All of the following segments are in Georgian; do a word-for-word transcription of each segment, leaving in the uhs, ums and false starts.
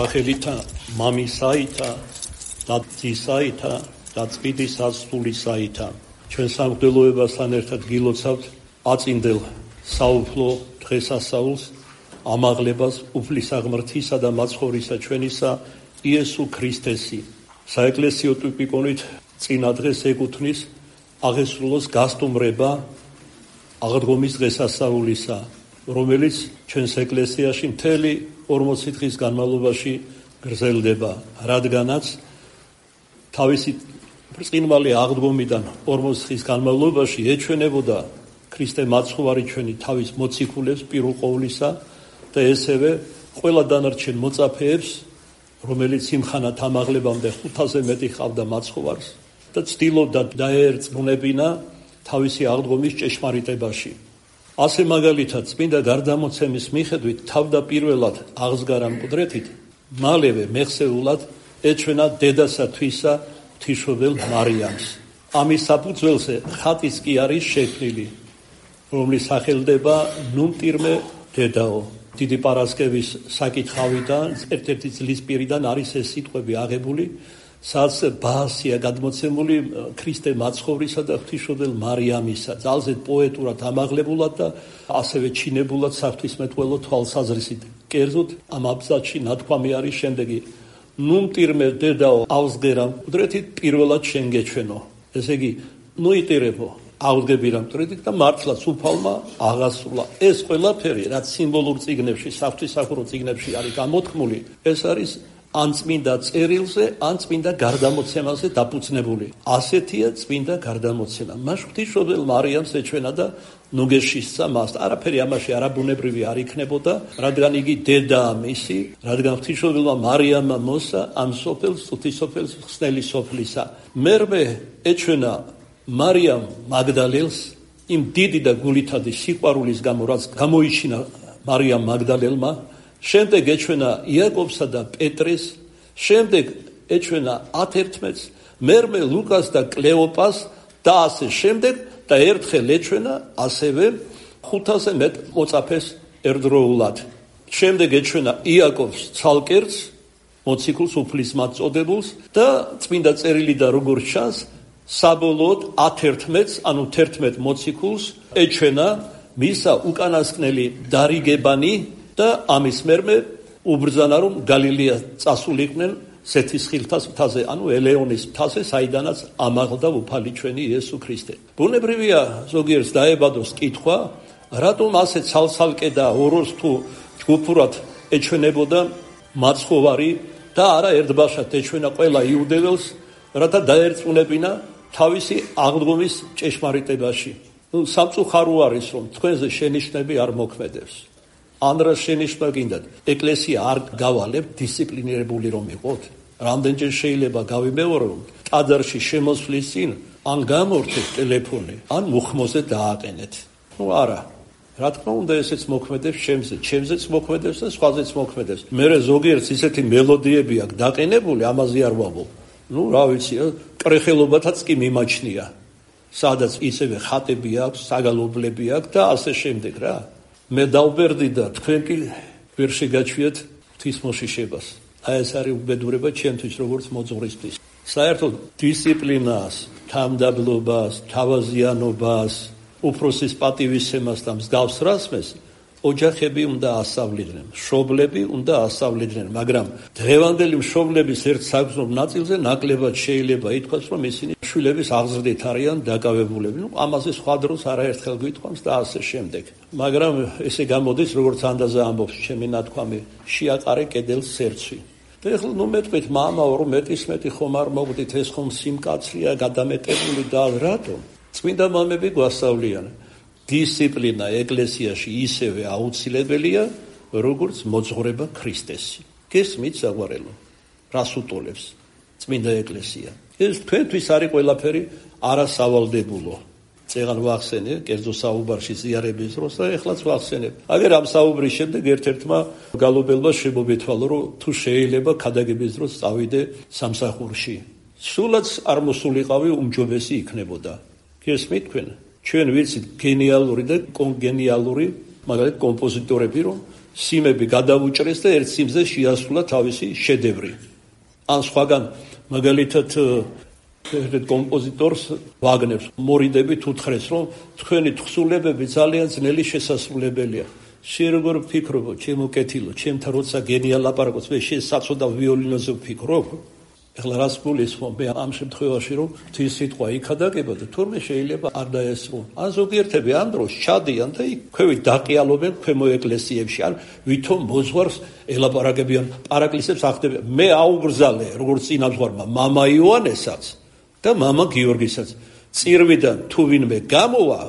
სახელითა მამისაითა და ძისაითა და წმინდის სულისაითა. ჩვენ სამღვდელოებასთან ერთად გილოცავთ აწინდელ საუფლო დღესასწაულს, ამაღლებას უფლისაღმრთისა და მაცხოვრისა ჩვენისა იესო ქრისტესი. საეკლესიო ტიპიკონით წინა დღეს ეკუთვნის აღესრულოს გასტუმრება აღდგომის დღესასწაულისა, რომელიც ჩვენს ეკლესიაში მთელი ორმოცი დღის განმავლობაში გრძელდება, რადგანაც თავისი ბრწყინვალე აღდგომიდან ორმოცი დღის განმავლობაში ეჩვენებოდა ქრისტე მაცხოვარი ჩვენი თავის მოციქულებს პირველ ყოვლისა და ესევე ყველა დანარჩენ მოწაფეებს, რომელიც იმხანად ამაღლებამდე ხუთაზე მეტი ჰყავდა მაცხოვარს და ცდილობდა დაერწმუნებინა თავისი აღდგომის ჭეშმარიტებაში. ასე მაგალითად წმინდა გარდამოცემის მიხედვით თავდაპირველად აღსგარა მკვდრეთით, მალევე მეხსეულად ეჩვენა დედასა თვისა ღვთისმშობელ მარიამს. ამის საფუძველზე ხატიც კი არის შექმნილი, რომლის სახელდება ნუმტირმე დედაო. დიდი პარასკევის საკითხავიდან, ერთ-ერთი წლის პირიდან არის ეს სიტყვები აღებული, სადაც ბაასია გადმოცემული ქრისტე მაცხოვრისა და ღვთისმშობელ მარიამისა, ძალზედ პოეტურად ამაღლებულად და ასევე ჩინებულად საღვთისმეტყველო თვალსაზრისით. კერძოდ ამ აბზაცში ნათქვამი არის შემდეგი: ნუმტირმე დედაო ავსგერა მკვდრეთით პირველად შენ გეჩვენო. ესე იგი, ნუიტირებო აღდგები რა მკვდრეთით და მართლაც უფალმა აღასრულა. ეს ყველაფერი, რაც სიმბოლურ წიგნებში, საღვთისმსახურო წიგნებში არის გამოთქმული, ეს არის ან წმინდა წერილზე, ან წმინდა გარდამოცემაზე დაფუძნებული. ასეთია წმინდა გარდამოცემა. მას ღვთისმშობელ მარიამს ეჩვენა და ნუგეშისცა მას. არაფერი ამაში არაბუნებრივი არ იქნებოდა, რადგან იგი დედაა მისი, რადგან ღვთისმშობელმა მარიამმა მოსა ამ სოფელს, ღვთისმსოფელს ხსნელი სოფლისა. მერმე ეჩვენა მარიამ მაგდალელს იმ დიდი და გულითადი სიყვარულის გამო, რაც გამოიჩინა მარიამ მაგდალელმა. შემდეგ ეჩვენა იაკობსა და პეტრეს, შემდეგ ეჩვენა ათერთმეტს, მერმე ლუკას და კლეოპას და ასე შემდეგ და ერთხელ ეჩვენა ასევე ხუთაზე მეტ მოწაფეს ერთდროულად. შემდეგ ეჩვენა იაკობს ცალკერts, მოციქულს უფლისმად წოდებულს და წმინდა წერილი და როგორც ჩანს, საბოლოოდ ათერთმეტს, ანუ თერთმეტ მოციქულს ეჩვენა მისა უკანასკნელი დარიგებანი და ამის მერმე უბრძანა, რომ გალილეა წასულიყვნენ სეთისხილთას მთაზე, ანუ ელეონის მთაზე, საიდანაც ამაღლდა უფალი ჩვენი იესო ქრისტე. ბუნებრივია ზოგიერთს დაებადოს კითხვა, რატომ ასე ცალ-ცალკე და ოროს თუ ჯგუფურად ეჩვენებოდა მაცხოვარი და არა ერთბაშად ეჩვენა ყველა იუდეველს, რათა დაერწმუნებინა თავისი აღდგომის ჭეშმარიტებაში. ნუ სამწუხარო არის, რომ თქვენზე შენიშვნები არ მოქმედებს. ან რა შენიშვნა გინდათ, ეკლესია არ გავალებთ, დისციპლინირებული რომ იყოთ? რამდენჯერ შეიძლება გავიმეორო, რომ ტაძარში შემოსვლის წინ ან გამორთეთ ტელეფონი, ან მუხმოზე დააყენეთ. ნუ არა. რა თქმა უნდა, ესეც მოქმედებს ჩემზე, ჩემზეც მოქმედებს და სხვაზეც მოქმედებს. მერე ზოგიერთს ისეთი მელოდიები აქვს დაყენებული, ამაზე არ ვაბობ. ნუ რა ვიცი, კრეხელობათაც კი მიმაჩნია. სადაც ისევე ხატები აქვს, საგალობლები აქვს და ასე შემდეგ რა. მე დავბერდი და თქვენ კი ვერ შეგაჩვიეთ ღვთისმოშიშებას. აი ეს არის უბედურება ჩემთვის როგორც მოძღვრისთვის. საერთოდ დისციპლინას, თამდაბლობას, თავაზიანობას, უფროსის პატივისცემას და მსგავს რასმეს ოჯახები უნდა ასწავლიდნენ, მშობლები უნდა ასწავლიდნენ, მაგრამ დღევანდელი მშობლების ერთ საგრძნობ ნაწილზე ნაკლებად შეიძლება ითქვას, რომ ისინი შვილების აღზრდით არიან დაკავებულები. ნუ ამაზე სხვა დროს არაერთხელ გვითხოვს და ასე შემდეგ. მაგრამ ესე გამოდის, როგორც ანდაზა ამბობს ჩემი ნათქვამი, შეაყარე კედელს სერცვი. და ეხლა ნუ მეტყვით, მამაო, რომ მეტის მეტი ხომ არ მოგდით, ეს ხომ სიმკაცრეა, გადამეტებული და რატომ? წმინდა მამები გვასწავლიან, დისციპლინა ეკლესიაში ისევე აუცილებელია, როგორც მოძღვრება ქრისტესი. გესმით საყვარელო, რას უტოლებს წმინდა ეკლესია? ეს თქვენთვის არის ყველაფერი არასავალდებულო. წეგან ვახსენე, კერძო საუბარში ზიარების დროს და ეხლაც ვახსენებ. აგერ ამ საუბრის შემდეგ ერთ-ერთმა გალობელმა შემომეთვალა, რომ თუ შეიძლება ქადაგების დროს წავიდე სამსახურში. სულაც არ მოსულიყავი, უმჯობესი იქნებოდა. გესმით თქვენ? ჩვენ ვიცით გენიალური და კონგენიალური, მაგალითად კომპოზიტორები, რომ სიმები გადავუჭრეს და ერთ სიმზე შეასრულა თავისი შედევრი. ან სხვაგან მაგალითად ერთ კომპოზიტორს ვაგნერს მორიდებით უთხრეს, რომ თქვენი თხზულებები ძალიან ძნელი შესასრულებელია. შენ როგორ ვფიქრობ, ჩემო კეთილო, ჩემთან როცა გენია ლაპარაკობს, მე შენ საწოდა ვიოლინოზე ვფიქრობ? ეხლა რას გულისხმობ მე ამ შემთხვევაში, რომ თის სიტყვა იქადაგება და თურმე შეიძლება არ დაესრულო. ან ზოგიერთები ამ დროს ჩადიან და იქ ქვევით დაყიალობენ ქვემო ეკლესიებში, ან ვითომ მოძღვარს ელაპარაკებიან, პარაკლისებს ახდებიან. მე აუგრძალე, როგორც წინამძღვარმა მამა იოანესაც და მამა გიორგისაც. წირვიდან თუ ვინმე გამოვა,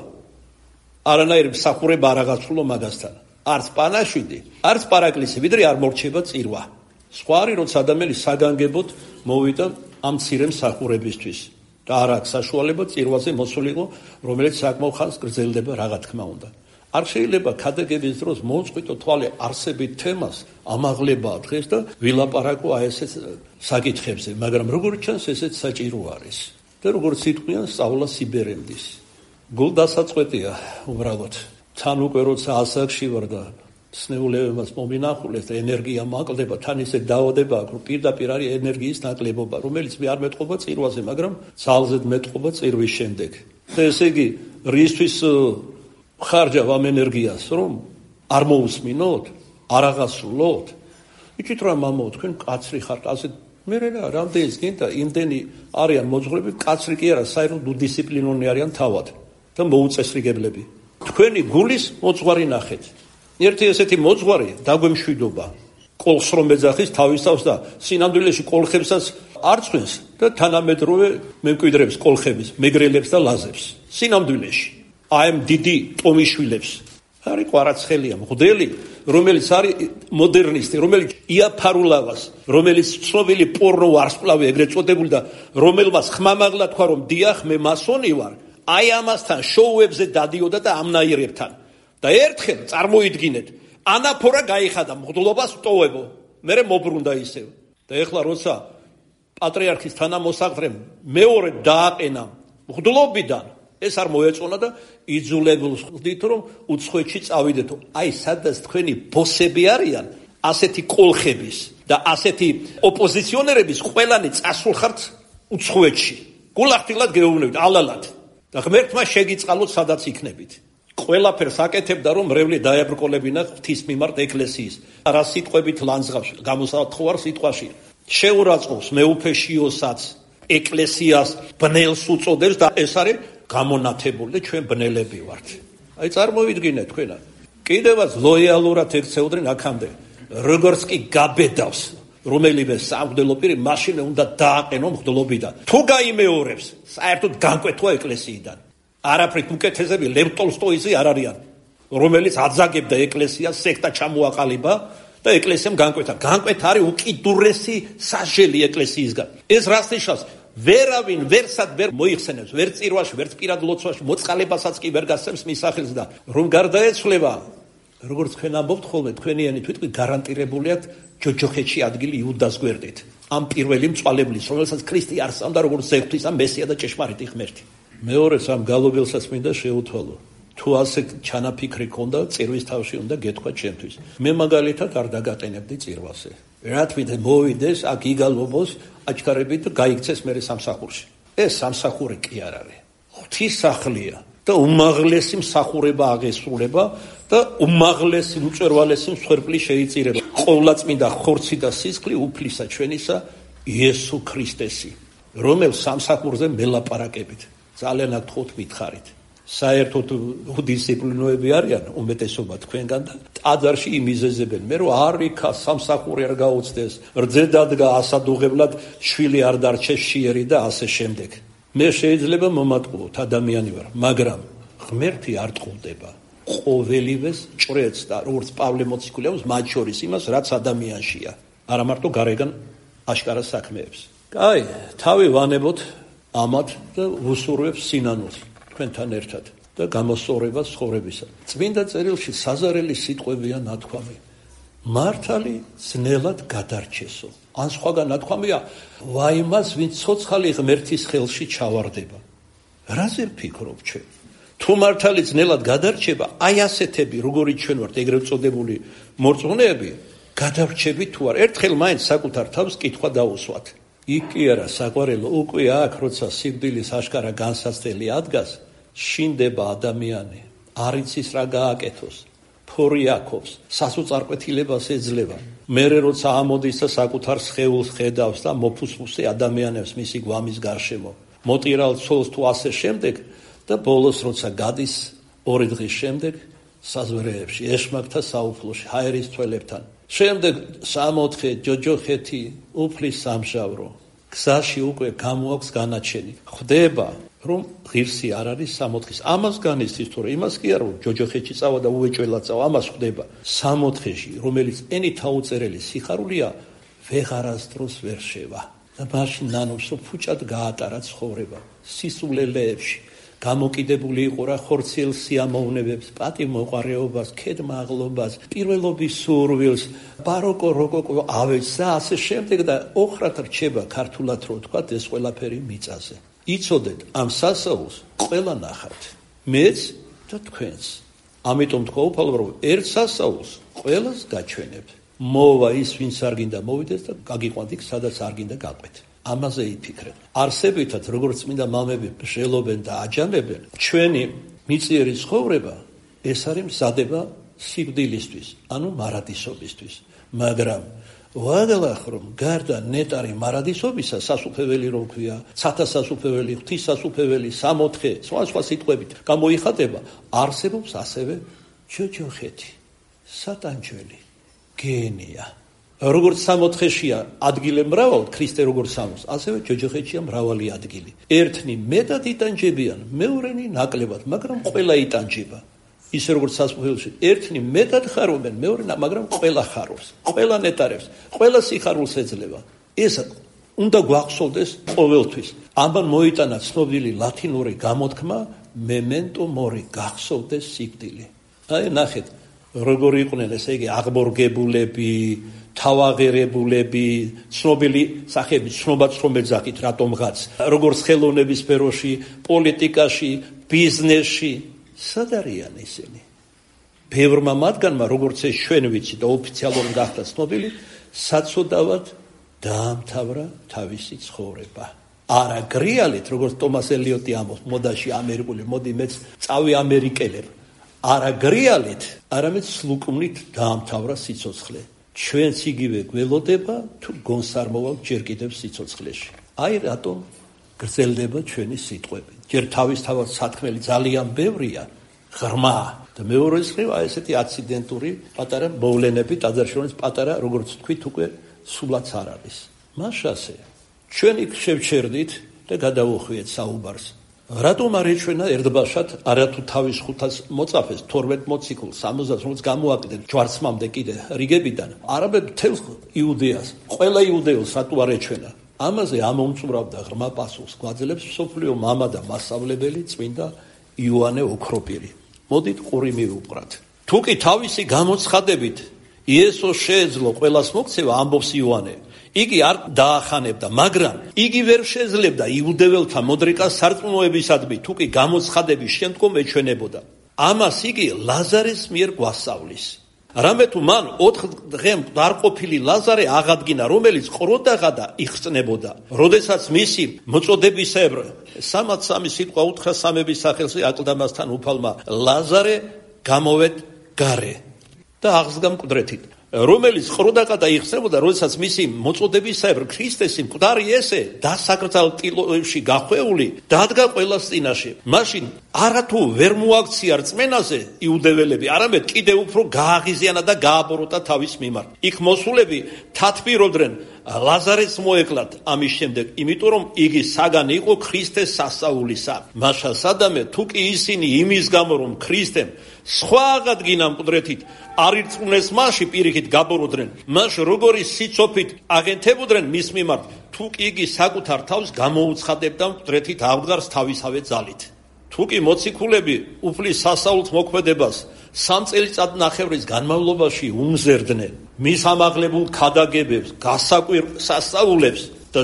არანაირი მსახურება არ აღასრულო მაგასთან. არც პანაშვიდი, არც პარაკლისი, ვიდრე არ მორჩება წირვა. სხვა არის, როცა ადამიანი საგანგებოდ მოვიდა ამ მცირე მსახურებისთვის და არ აქვს საშუალება წირვაზე მოსულიყო, რომელიც საკმაო ხანს გრძელდება, რა თქმა უნდა. არ შეიძლება ქადაგების დროს მოუწყვიტო თვალე არსებით თემას ამაღლებაა დღეს და ვილაპარაკო აი ესეთ საკითხებზე, მაგრამ როგორც ჩანს ესეც საჭირო არის. და როგორც იტყვიან, სწავლა სიბერემდის. გულდასაწყვეტია უბრალოდ. თან უკვე როცა ასაკში ვარ და სნეულებებას მომინახულეს და ენერგია მაკლდება, თან ისე დაავადება აქვს, რომ პირდაპირ არის ენერგიის ნაკლებობა, რომელიც მე არ მეტყობა წირვაზე, მაგრამ ძალზედ მეტყობა წირვის შემდეგ. და ესე იგი, რისთვის ხარჯავ ამ ენერგიას, რომ არ მოусმინოთ, არ აღასრულოთ? იცით რა მამაო, თქვენ კაცრი ხართ, ასე მე რა, რამდენიც გინდა, იმდენი არიან მოძღვრები, კაცრი კი არა, საერთოდ უდისციპლინონი არიან თავად და მოუწესრიგებლები. თქვენი გულის მოძღვარი ნახეთ. ერთი ესეთი მოძღვარი დაგვემშვიდობა. კოლხს რომ ეძახის თავისავს და სინამდვილეში კოლხებსაც არ წვენს და თანამედროვე მემკვიდრებს კოლხების, მეგრელებს და ლაზებს. სინამდვილეში. აი ამ დიდი ტომიშვილებს. არის ყვარაცხელია, მღვდელი, რომელიც არის მოდერნისტი, რომელიც იაფარულავას, რომელიც ცნობილი პორნო ვარსკვლავი ეგრეთ წოდებული და რომელმაც ხმამაღლა თქვა, რომ დიახ, მე მასონი ვარ, აი ამასთან შოუებზე დადიოდა და ამნაირებთან. და ერთხელ წარმოიდგინეთ, ანაფორა გაიხადა მღვდლობას ვტოვებო, მერე მობრუნდა ისევ. და ეხლა როცა პატრიარქის თანამოსაგრემ მეორე დააყენა მღვდლობიდან, ეს არ მოეწონა და იძულებულს ხდით, რომ უცხოეთში წავიდეთო. აი სადაც თქვენი ბოსები არიან, ასეთი კოლხების და ასეთი ოპოზიციონერების ყველანი წასულხართ უცხოეთში. გულახდილად გეუბნებით, ალალად. და ღმერთმა შეგიწყალოთ, სადაც იქნებით. ყველაფერს აკეთებდა, რომ მრევლი დაებრკოლებინა ღვთის მიმართ ეკლესიის. რა სიტყვებით ლანძღავს, გამოსათხოვარ სიტყვაში. შეურაცხყოფს მეუფეშიოსაც, ეკლესიას ბნელს უწოდებს და ეს არის გამონათებული და ჩვენ ბნელები ვართ. აი წარმოვიდგინეთ თქვენა. კიდევაც ლოიალურად ექცეოდნენ აქამდე. როგორც კი გაბედავს რომელიმე სამღვდელო პირი, მაშინ უნდა დააყენო მღვდლობიდან. თუ გაიმეორებს, საერთოდ განკვეთვა ეკლესიიდან. არაფრით უკეთესები ლევ ტოლსტოიზე არ არიან, რომელიც აძაგებდა ეკლესიას, სექტა ჩამოაყალიბა და ეკლესიამ განკვეთა. განკვეთა არის უკიდურესი სასჯელი ეკლესიისგან. ეს რას ნიშნავს? ვერავინ ვერსად ვერ მოიხსენებს, ვერ წირვაში, ვერ პირად ლოცვაში, მოწყალებასაც კი ვერ გასცემს მის სახელს და რომ გარდაეცვლება, როგორც თქვენ ამბობთ ხოლმე, თქვენიანი თვითონ გარანტირებული აქვს ჯოჯოხეთში ადგილი იუდას გვერდით. ამ პირველი მწვალებლის, რომელსაც ქრისტე არსამდა როგორც ზეღვთის ამ მესია და ჭეშმარიტი ღმერთი. მეორეც ამ გალობელსაც მინდა შეუთვალო. თუ ასე ჩანაფიქრი ქონდა, წირვის თავში უნდა გეთქვა ჩემთვის. მე მაგალითად არ დაგატენებდი წირვაზე. რა თვითონ მოვიდეს, აქ იგალობოს, აჩქარებით და გაიქცეს მერე სამსახურში. ეს სამსახური კი არ არის. ღვთის სახლია და უმაღლესი მსახურება აღესრულება და უმაღლესი უწვერვალესი მსხვერპლი შეიწირება. ყოვლადწმინდა ხორცი და სისხლი უფლისა ჩვენისა იესო ქრისტესი, რომელ სამსახურზე მელაპარაკებით. ძალიან აკთხოთ მითხარით. საერთოდ უდისციპლინოები არიან უმეტესობა თქვენგან და ტაძარში იმიზეზებენ. მე რომ არ იქა სამსახური არ გაუწდეს, რძე დადგა ასადუღებლად, შვილი არ დარჩეს შიერი და ასე შემდეგ. მე შეიძლება მომატყუოთ, ადამიანი ვარ, მაგრამ ღმერთი არ ტყუდება. ყოველივეს ჭრეთს და როგორც პავლე მოციქული აქვს, მათ შორის იმას, რაც ადამიანშია. არა მარტო გარეგან აშკარა საქმეებს. კაი, თავი ვანებოთ ამათ და ვუსურვებს სინანულს თქვენთან ერთად და გამოსწორებას ცხოვრებისა. წმინდა წერილში საზარელი სიტყვებია ნათქვამი. მართალი ძნელად გადარჩესო. ან სხვაგან ნათქვამია, ვაიმას ვინც ცოცხალი ღმერთის ხელში ჩავარდება. რაზე ვფიქრობ ჩვენ? თუ თუ მართალი ძნელად გადარჩება, აი ასეთები, როგორიც ჩვენ ვართ ეგრეთ წოდებული მორწმუნეები, გადარჩები თუ არ, ერთხელ მაინც საკუთარ თავს კითხვა დაუსვათ. იქ კი არა, საყვარელო, უკვე აქ, როცა სიკვდილის აშკარა განსაცდელი ადგას, შინდება ადამიანი, არ იცის რა გააკეთოს, ფორი აქობს, სასოწარკვეთილებას ეძლევა. მერე როცა ამოდის და საკუთარ სხეულს ხედავს და მოფუსფუსე ადამიანებს მისი გვამის გარშემო, მოტირალ ცოლს თუ ასე შემდეგ და ბოლოს როცა გადის ორი დღის შემდეგ საზვერეებში, ეშმაკთა საუფლოში, ჰაერის თველებთან. შემდეგ სამოთხე ჯოჯოხეთი უფლის სამშავრო. გზაში უკვე გამოაქვს განაჩენი. ხვდება რომ ღირსი არ არის სამოთხის. ამას განიცდის თორე იმას კი არა რომ ჯოჯოხეთში წავა და უეჭველად წავა, ამას ხვდება. სამოთხეში, რომელიც ენით აუწერელი სიხარულია, ვეღარასდროს ვერ შევა. და მაშინ ნანობს რომ ფუჭად გაატარა ცხოვრება. სისულელეებში გამოკიდებული იყო რა ხორციელ სიამოვნებებს, პატივმოყვარეობას, ქედმაღლობას, პირველობის სურვილს, ბაროკო როკოკო ავეჯს და ასე შემდეგ და ოხრად რჩება ქართულად რო თქვა ეს ყველაფერი მიწაზე. იცოდეთ ამ სასაულს ყველა ნახავთ, მეც და თქვენს. ამიტომ თქვა უფალო რომ ერთ სასაულს ყველას გაჩვენებთ. მოვა ის ვინც არ გინდა მოვიდეს და გაგიყვანთ იქ სადაც არ გინდა გაყვეთ. ამაზე იფიქრეთ. არსებითად როგორც წმინდა მამები ბრძელობენ და აჯანებენ, ჩვენი მიწიერი ცხოვრება ეს არის მზადება სიკვდილისთვის, ანუ მარადისობისთვის. მაგრამ ვაგალახ რომ გარდა ნეტარი მარადისობისა, სასუფეველი რომ ქვია, ცათა სასუფეველი, ღვთის სასუფეველი, სამოთხე, სხვა სხვა სიტყვებით გამოიხატება, არსებობს ასევე ჯოჯოხეთი, სატანჯველი, გენია. როგორც სამოთხეშია ადგილი მრავალ, ქრისტე როგორც სამოს, ასევე ჯოჯოხეთშია მრავალი ადგილი. ერთნი მეტად იტანჯებიან, მეორენი ნაკლებად, მაგრამ ყველა იტანჯება. ისე როგორც სასუფეველში, ერთნი მეტად ხარობენ, მეორე, მაგრამ ყველა ხარობს, ყველა ნეტარებს, ყველა სიხარულს ეძლევა. ეს უნდა გვახსოვდეს ყოველთვის. ამან მოიტანა ცნობილი ლათინური გამოთქმა memento mori, გახსოვდეს სიკვდილი. აი ნახეთ, როგორ იყვნენ ესე იგი აღბორგებულები, თავაღერებულები, ცნობილი სახეები, ცნობაც რომ ეძახით რატომღაც, როგორც ხელოვნების სფეროში, პოლიტიკაში, ბიზნესში, სად არიან ისინი? ბევრმა მათგანმა, როგორც ეს ჩვენ ვიცით და ოფიციალურად გახდა ცნობილი, საცოდავად დაამთავრა თავისი ცხოვრება. არა გრიალით, როგორც ტომას ელიოტი ამბობს, მოდაში ამერიკული, მოდი მეც წავი ამერიკელებ. არა გრიალით, არამედ სლუკმნით დაამთავრა სიცოცხლე. ჩვენც იგივე გველოდება თუ გონს არ მოვალ ჯერ კიდევ სიცოცხლეში. აი რატომ გრძელდება ჩვენი სიტყვები. ჯერ თავისთავად სათქმელი ძალიან ბევრია, ღრმა და მეორეს მხრივ აი ესეთი აციდენტური პატარა მოვლენები, ტაძარში პატარა, როგორც თქვით, უკვე სულაც არ არის. მაშასე ჩვენ იქ შევჩერდით და გადავუხვიეთ საუბარს. რატომ არ ეჩვენა ერთბაშად არათუ თავის ხუთას მოწაფეს თორმეტ მოციქულს სამოცდას რომელიც გამოაკდნენ ჯვარცმამდე კიდე რიგებიდან არაბებ მთელ იუდეას ყველა იუდეელს რატო არ ეჩვენა ამაზე ამომწურავდა ღრმა პასუხს გვაძლევს მსოფლიო მამა და მასწავლებელი წმინდა იოანე ოქროპირი. მოდით ყური მივუყრათ. თუ კი თავისი გამოცხადებით იესოს შეეძლო ყველას მოქცევა ამბობს იოანე, იგი არ დაახანებდა, მაგრამ იგი ვერ შეძლებდა იუდეველთა მოდრიკას სარწმუნოებისადმი, თუ კი გამოცხადების შემდგომ ეჩვენებოდა. ამას იგი ლაზარეს მიერ გვასწავლის. რამე თუ მან ოთხ დღემ დარყოფილი ლაზარე აღადგინა, რომელიც ყროდაღადა იხსნებოდა, როდესაც მისი მოწოდებისებრ სამად სამი სიტყვა უთხრა სამების სახელზე აკლდამასთან უფალმა ლაზარე გამოვედ გარე და აღსდგა მკვდრეთით. რომელიც ყროდაღადა იხსნებოდა, როდესაც მისი მოწოდებისებრ ქრისტესი მკვდარი ესე დასაკრძალ ტილოებში გახვეული დადგა ყველას წინაშე. მაშინ არათუ ვერ მოაქცია რწმენაზე იუდეველები, არამედ კიდევ უფრო გააღიზიანა და გააბოროტა თავის მიმართ. იქ მოსულები თათბირობდნენ ლაზარეს მოეკლათ ამის შემდეგ, იმიტომ რომ იგი საგანი იყო ქრისტეს სასწაულისა. მაშა სადამე თუ კი ისინი იმის გამო რომ ქრისტემ სხვა აღადგინა მკვდრეთით არ ირწმუნეს მასში პირიქით გაბოროდნენ, მას როგორი სიცოფით აღენთებოდნენ მის მიმართ, თუ კი იგი საკუთარ თავს გამოუცხადებდა მკვდრეთით აღდგარს თავისავე ძალით. თუ კი მოციქულები უფლის სასწაულს მოქმედებას სამ წელიწად ნახევრის განმავლობაში უმზერდნენ მის ამაღლებულ ქადაგებებს, გასაკვირ სასწაულებს და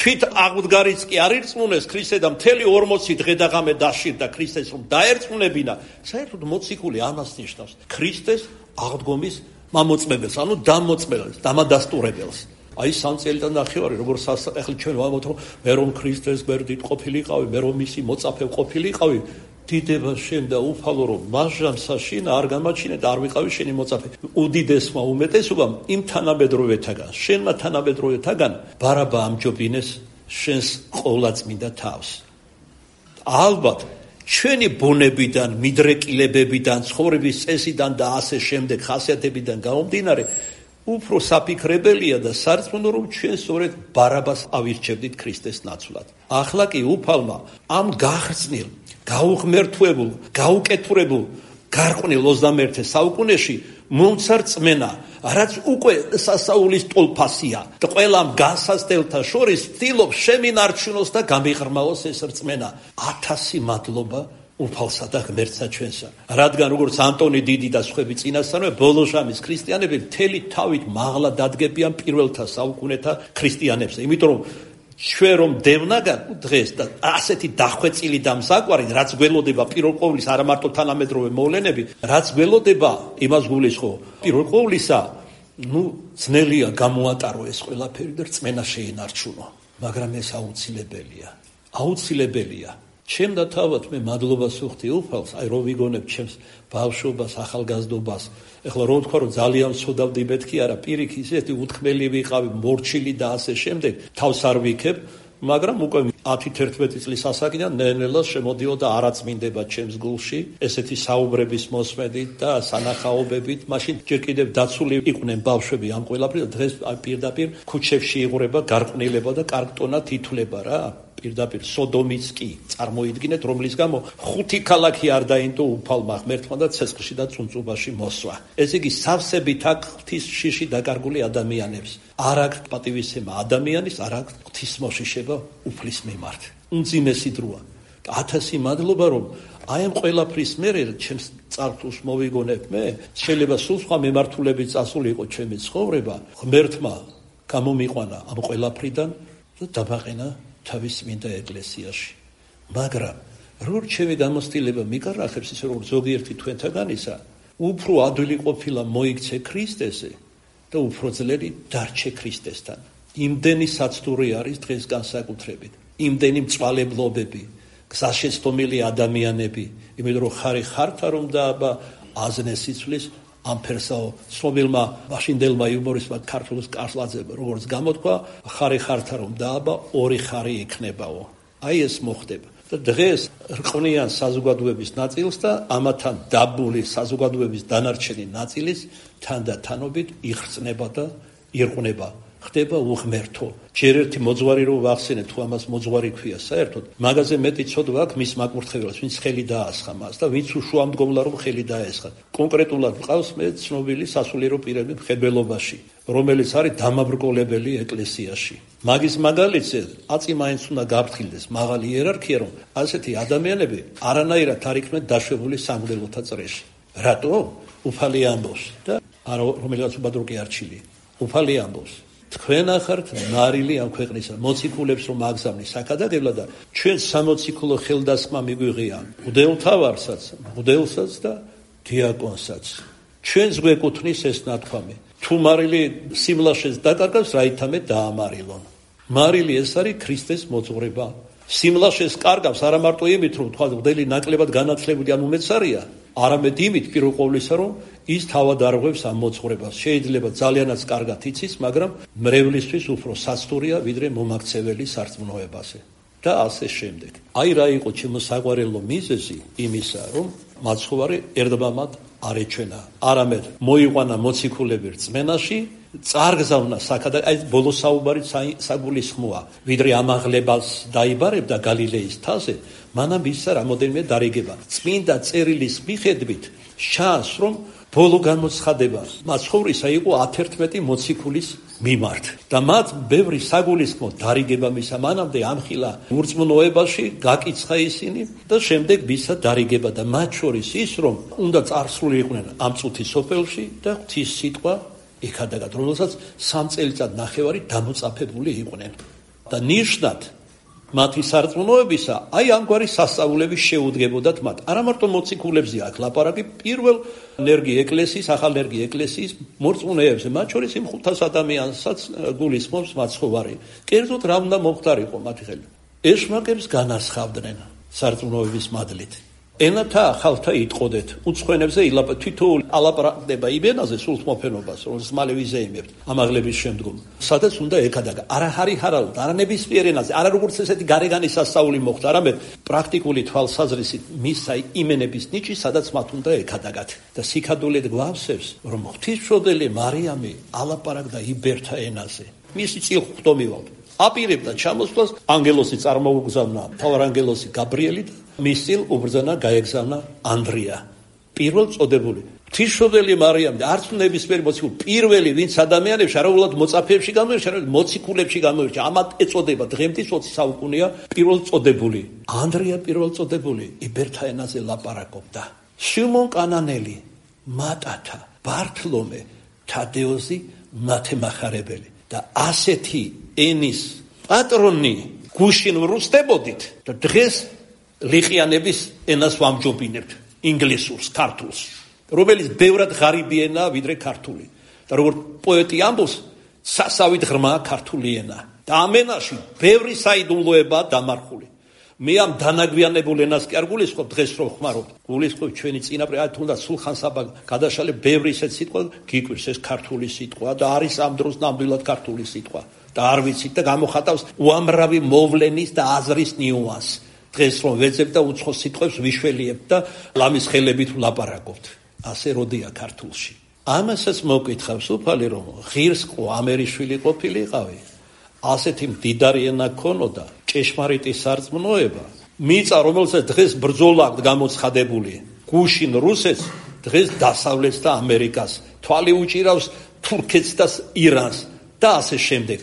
თვით აღუდგარიც კი არ ირწმუნეს ქრისტე და მთელი ორმოცი დღე და ღამე დაშირდა ქრისტეს რომ დაერწმუნებინა. საერთოდ მოციქული ამას ნიშნავს. ქრისტეს აღდგომის მამოწმებელს, ანუ დამოწმებელს, დამადასტურებელს. აი სამწელიდან ნახევარი, როგორც ახლა ჩვენ ვამბობთ, რომ მე რომ ქრისტეს გვერდით ყოფილიყავი, მე რომ მისი მოწაფე ყოფილიყავი, დიდება შენ და უფალო რომ მასჟამსა შინ არ გამაჩინე და არ ვიყავი შენი მოწაფე. უდიდესმა უმეტესობამ იმ თანამედროვეთაგან, შენმა თანამედროვეთაგან ბარაბა ამჯობინეს შენს ყოვლადწმინდა თავს. ალბათ ჩვენი ბუნებიდან, მიდრეკილებებიდან, ცხოვრების წესიდან და ასე შემდეგ ხასიათებიდან გამომდინარე, უფრო საფიქრებელია და სარწმუნო რომ ჩვენ სწორედ ბარაბას ავირჩევდით ქრისტეს ნაცვლად. ახლა კი უფალმა ამ გახრწნილ, გაუღმერთვებულ, გაუკეთურებულ, გარყვნილ ოცდამეერთე საუკუნეში მომცა რწმენა, რაც უკვე სასაულის ტოლფასია და ყველამ განსაცდელთა შორის ცდილობს შემინარჩუნოს და გამიღრმაოს ეს რწმენა. ათასი მადლობა უფალსა და ღმერთსა ჩვენსა. რადგან როგორც ანტონი დიდი და სხვები წინასწარმე, ბოლო ჟამის ქრისტიანები მთელი თავით მაღლა დადგებიან პირველთა საუკუნეთა ქრისტიანებს. იმიტომ რომ ჩვენ რომ დევნაგან დღეს და ასეთი დახვეწილი და მსაკვარი, რაც გველოდება პირველ ყოვლის არა მარტო თანამედროვე მოვლენები, რაც გველოდება იმას გულისხმობ. პირველ ყოვლისა, ну, ძნელია გამოატარო ეს ყველაფერი და რწმენა შეინარჩუნო, მაგრამ ეს აუცილებელია. აუცილებელია. ჩემ და თავად მე მადლობას ვუხდი უფალს, აი რომ ვიგონებ ჩემს ბავშვობას, ახალგაზრდობას. ეხლა რომ ვთქვა რომ ძალიან ვცოდავდი მეთქი არა, პირიქით ისეთი უთქმელი ვიყავი, მორჩილი და ასე შემდეგ, თავს არ ვიქებ, მაგრამ უკვე ათი თერთმეტი წლის ასაკიდან ნელ-ნელა შემოდიოდა არაწმინდება ჩემს გულში, ესეთი საუბრების მოსმენით და სანახაობებით, მაშინ ჯერ კიდევ დაცული იყვნენ ბავშვები ამ ყველაფრით და დღეს პირდაპირ ქუჩებში იღვრება გარყვნილება და კარგტონა თითვლება რა. პირდაპირ სოდომიც კი წარმოიდგინეთ, რომლის გამო ხუთი ქალაქი არ დაინდო უფალმა ღმერთმა და ცეცხლში და წუნწუბაში მოსვა. ეს იგი სავსებით აქ ღვთის შიში დაკარგული ადამიანებს. არ აქვს პატივისცემა ადამიანის, არ აქვს ღვთისმოშიშება უფლის მიმართ. უმძიმესი დროა. ათასი მადლობა რომ აი ამ ყველაფრის მერე ჩემს წარსულს მოვიგონებ მე, შეიძლება სულ სხვა მემართულებით წასულიყო ჩემი ცხოვრება, ღმერთმა გამომიყვანა ამ ყველაფრიდან და დამაყენა თავის წმინდა ეკლესიაში. მაგრამ რო ჩემი გამოცდილება მიკარახებს ისე როგორც ზოგიერთი თქვენთაგანისა, უფრო ადვილი ყოფილა მოიქცე ქრისტესე და უფრო ძლიერი დარჩე ქრისტესთან. იმდენი საცდური არის დღეს განსაკუთრებით, იმდენი მწვალებლობები, გზაშეცდომილი ადამიანები, იმიტომ რომ ხარი ხართა რომ დააბა აზნეს სიცვლის ამ ფერსაო ცნობილმა მაშინდელმა იუმორისტმა ქართულ კარლაძემ როგორც გამოთქვა, ხარი ხართა რომ დააბა ორი ხარი იქნებაო. აი ეს მოხდება. და დღეს რყვნიან საზოგადოების ნაწილს და ამათან დაბული საზოგადოების დანარჩენი ნაწილის თანდათანობით იხრწნება და ირყნება. ხდება უღმერთო. ჯერ ერთი მოძღვარი რო ვახსენე, თუ ამას მოძღვარი ქვია საერთოდ, მაგაზე მეტი ცოდვა აქვს მის მაკურთხეველს, ვინც ხელი დაასხა მას და ვინც უშუამდგომლა რომ ხელი დაესხა. კონკრეტულად მყავს მე ცნობილი სასულიერო პირები მხედველობაში, რომელიც არის დამაბრკოლებელი ეკლესიაში. მაგის მაგალითზე აწი მაინც უნდა გაფრთხილდეს მაღალი იერარქია, რომ ასეთი ადამიანები არანაირად არ იქნენ დაშვებული სამღვდელოთა წრეში. რატო? უფალი ამბობს და არა რომელიღაც უბადროკი არჩილი. უფალი ამბობს. თქვენ ახართ ნარილი ამ ქვეყნისა, მოციქულებს რომ აგზავნი საკადაგებლა და ჩვენ სამოციქულო ხელდასხმა მიგვიღია მღვდელთავარსაც, მღვდელსაც და დიაკონსაც. ჩვენს გვეკუთვნის ეს ნათქვამი. თუ მარილი სიმლაშეს დაკარგავს, რაითამე დაამარილონ. მარილი ეს არის ქრისტეს მოძღვრება. სიმლაშეს კარგავს არა მარტო იმით, რომ თქვა მღვდელი ნაკლებად განათლებული ან უმეცარია, არამედ იმით პირველ ყოვლისა, რომ ის თავად არღვევს ამ მოძღვრებას. შეიძლება ძალიანაც კარგად იცის, მაგრამ მრევლისთვის უფრო სასტურია, ვიდრე მომაქცეველი სარწმუნოებაზე. და ასე შემდეგ. აი რა იყო ჩემო საყვარელო მიზეზი იმისა, რომ მაცხოვარი ერდბამად არ ეჩვენა. არამედ მოიყვანა მოციქულები რწმენაში, წარგზავნა საკადა, აი ბოლო საუბარი საგულისხმოა, ვიდრე ამაღლებას დაიბარებდა გალილეის თაზე, მანამ ისა რამოდენიმე დარიგება. წმინდა წერილის მიხედვით შანს, რომ ბოლო გამოცხადება მაცხოვრისა იყო ათერთმეტი მოციქულის მიმართ და მათ ბევრი საგულისხმო დარიგება მისა, მანამდე ამხილა ურწმუნოებაში გაკიცხა ისინი და შემდეგ მისა დარიგება და მათ შორის ის, რომ უნდა წარსულიყვნენ ამ წუთის სოფელში და ღვთის სიტყვა იქადაგად, რომელსაც სამ წელიწად ნახევარი დამოწაფებული იყვნენ. და ნიშნად მათი სარწმუნოებისა აი ამგვარი სასწაულები შეუდგებოდათ მათ. არა მარტო მოციქულებზე აქ ლაპარაკი, პირველ ენერგი ეკლესიის, ახალ ენერგი ეკლესიის მორწმუნეებზე, მათ შორის იმ ხუთას ადამიანსაც გულისხმობს მაცხოვარი. კერძოდ რა უნდა მომხდარიყო მათი ხელი? ეშმაკებს განასხავდნენ სარწმუნოების მადლით. ენათა ახალთა იტყოდეთ, უცხოენებზე ილაპ თითოეული ალაპარაკდება იბენაზე სულთმოფენობას, რომელსაც მალე ვიზეიმებთ ამაღლების შემდგომ. სადაც უნდა ეკადაგა. არა ჰარი ჰარალ, არა ნებისმიერ ენაზე, არა როგორც ესეთი გარეგანი სასწაული მოხდა, არამედ პრაქტიკული თვალსაზრისით მისა იმენების ნიჭი, სადაც მათ უნდა ეკადაგათ. და სიკადულით გვავსებს, რომ ღვთისმშობელი მარიამი ალაპარაკდა იბერთა ენაზე. მისი წილ ხდომივალთ. აპირებდა ჩამოსვლას, ანგელოსი წარმოუგზავნა მთავარანგელოსი გაბრიელი და მის წილ უბრძანა გაეგზავნა ანდრია, პირველ წოდებული. ღვთისმშობელი მარიამი არც ნებისმიერი მოციქული, პირველი ვინც ადამიანებში არაულად მოწაფეებში გამოირჩა, არამედ მოციქულებში გამოირჩა. ამათ ეწოდება დღემდე ოცი საუკუნეა პირველ წოდებული. ანდრია პირველ წოდებული იბერთა ენაზე ლაპარაკობდა. სიმონ კანანელი, მატათა, ბართლომე, თადეოზი მათემახარებელი და ასეთი ენის პატრონი გუშინ ვრუსდებოდით და დღეს ლიყიანების ენას ვამჯობინებთ, ინგლისურს, ქართულს, რომელიც ბევრად ღარიბი ენაა ვიდრე ქართული. და როგორც პოეტი ამბობს, სასავით ღრმაა ქართული ენა. და ამ ენაში ბევრი საიდუმლოებაა დამარხული. მე ამ დანაგვიანებულ ენას კი არ გულისხმობ დღეს რომ ხმარობთ. გულისხმობ ჩვენი წინაპრები, აი თუნდაც სულხან-საბა გადაშალე ბევრი ისეთ სიტყვა გიკვირს, ეს ქართული სიტყვა და არის ამ დროს ნამდვილად ქართული სიტყვა. და არ ვიცით და გამოხატავს უამრავი მოვლენის და აზრის ნიუანსს. დღეს რომ ვეძებ და უცხო სიტყვებს ვიშველიებ და ლამის ხელებით ვლაპარაკობთ. ასე როდია ქართულში. ამასაც მოგკითხავს უფალი რომ ღირს ყო ამერიშვილი ყოფილიყავი. ასეთი მდიდარი ენა ქონოდა, ჭეშმარიტი სარწმუნოება. მიწა რომელსაც დღეს ბრძოლა აქვს გამოცხადებული, გუშინ რუსეთს, დღეს დასავლეთს და ამერიკას, თვალი უჭირავს თურქეთს და ირანს და ასე შემდეგ.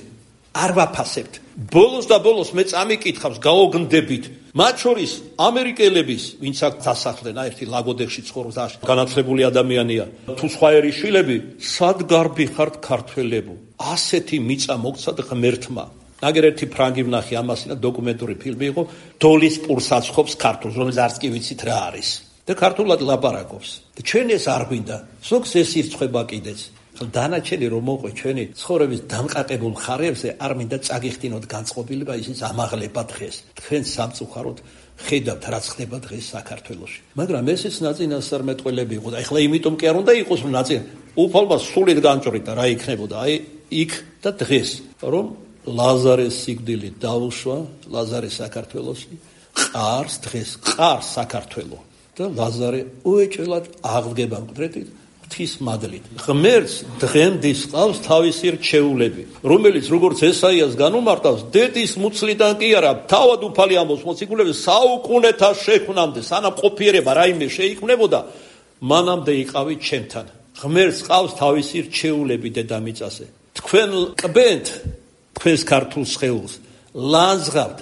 არ ვაფასებთ. ბოლოს და ბოლოს მე წამიკითხავს, გაოგნდებით. მათ შორის ამერიკელების, ვინც აქ დასახლდნენ, ერთი ლაგოდეხში ცხოვრობს, განათლებული ადამიანია. თუ სხვა ერის შვილები, სად გარბი ხართ ქართველებო? ასეთი მიწა მოგცად ღმერთმა. ნაგერ ერთი ფრანგი ვნახე ამასინა დოკუმენტური ფილმი იყო, დოლის პურსაცხოვს ქართულს, რომელიც არც კი ვიცით რა არის. და ქართულად ლაპარაკობს. და ჩვენ ეს არ გვინდა. ზოგს ეს ირწყვება კიდეც. დანარჩენი რომ მოყვე ჩვენი ცხოვრების დამყარებულ ხარებზე არ მინდა წაგიხდინოთ განწყობილება, ისიც ამაღლება დღეს. თქვენ სამწუხაროდ ხედავთ რაც ხდება დღეს საქართველოში. მაგრამ ესეც ნაწინასწარმეტყველები იყო და ეხლა იმიტომ კი არ უნდა იყოს რომ ნაწინ უფალმა სულით განჭრიდა რა იქნებოდა აი იქ და დღეს რომ ლაზარეს სიკვდილი დაუშვა, ლაზარე საქართველოში ყარს დღეს ყარს საქართველო და ლაზარე უეჭველად აღდგება მკვდრეთით ღვთის მადლით. ღმერთს დღემდე სყავს თავისი რჩეულები, რომელიც როგორც ესაიას განუმარტავს, დედის მუცლიდან კი არა, თავად უფალი ამბობს მოციქულებს, საუკუნეთა შექმნამდე, სანამ ყოფიერება რაიმე შეიქმნებოდა, მანამდე იყავით ჩემთან. ღმერთს სყავს თავისი რჩეულები დედამიწაზე. თქვენ კბენთ თქვენს ქართულ სხეულს, ლანძღავთ,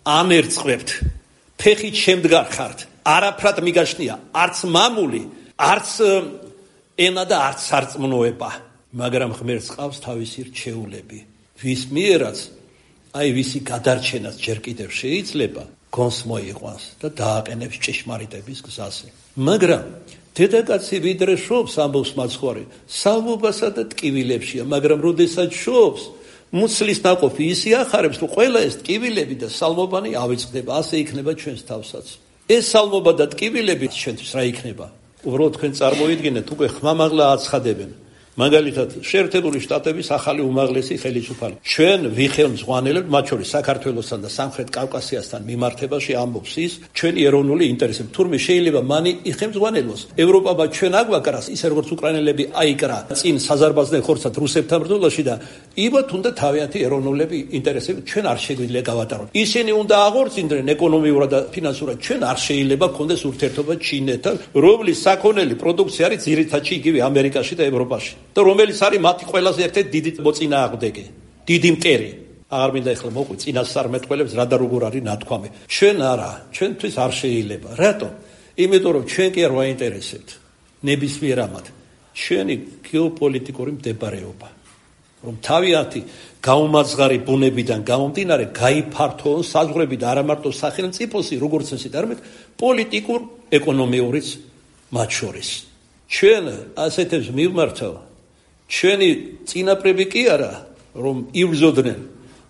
ამერწყებთ, ფეხით შემდგარ ხართ, არაფრად მიგაშნია, არც მამული, არც ენა და არც სარწმუნოება, მაგრამ ღმერთს ყავს თავისი რჩეულები, ვის მიერაც აი ვისი გადარჩენაც ჯერ კიდევ შეიძლება გონს მოიყვანს და დააყენებს ჭეშმარიტების გზაზე. მაგრამ დედაკაცი ვიდრე შობს, ამბობს მაცხვარი, სალმობასა და ტკივილებშია, მაგრამ როდესაც შობს, მუცლის ნაყოფი ისე ახარებს, რომ ყველა ეს ტკივილები და სალმობანი ავიწყდება, ასე იქნება ჩვენს თავსაც. ეს სალმობა და ტკივილები ჩვენთვის რა იქნება? უბრალოდ თქვენ წარმოიდგინეთ, უკვე ხმამაღლა აცხადებენ. მაგალითად, შეერთებული შტატების ახალი უმაღლესი ხელისუფალი. ჩვენ ვიხელმძღვანელებთ, მათ შორის საქართველოსთან და სამხრეთ კავკასიასთან მიმართებაში ამბობს ის, ჩვენი ეროვნული ინტერესები. თურმე შეიძლება მანი იხელმძღვანელოს ევროპამა ჩვენ აგვაკრას, ისე როგორც უკრაინელები აიკრა წინ საზარბაზნელ ხორცად რუსებთან ბრძოლაში და იბათ უნდა თავიანთი ეროვნულები ინტერესები ჩვენ არ შეგვიძლია გავატაროთ. ისინი უნდა აღორძინდნენ ეკონომიურად და ფინანსურად, ჩვენ არ შეიძლება გქონდეს ურთიერთობა ჩინეთთან, რომლის საქონელი პროდუქცია არის ძირითადში იგივე ამერიკაში და ევროპაში. და რომელიც არის მათი ყველაზე ერთ-ერთი დიდი მოწინააღმდეგე, დიდი მტერი. აღარ მინდა ეხლა მოყვი წინასწარმეტყველებს რა და როგორ არის ნათქვამი. ჩვენ არა, ჩვენთვის არ შეიძლება. რატომ? იმიტომ რომ ჩვენ კი არ ვაინტერესებთ ნებისმიერ ამად. ჩვენი გეოპოლიტიკური მდებარეობა. რომ თავიანთი გაუმაძღარი ბუნებიდან გამომდინარე გაიფართოონ საზღვრები და არა მარტო სახელმწიფოსი, როგორც ესეთ, არამედ პოლიტიკურ, ეკონომიურიც მათ შორის. ჩვენ ასეთებს მივმართავ, ჩვენი წინაპრები კი არა, რომ იბრძოდნენ,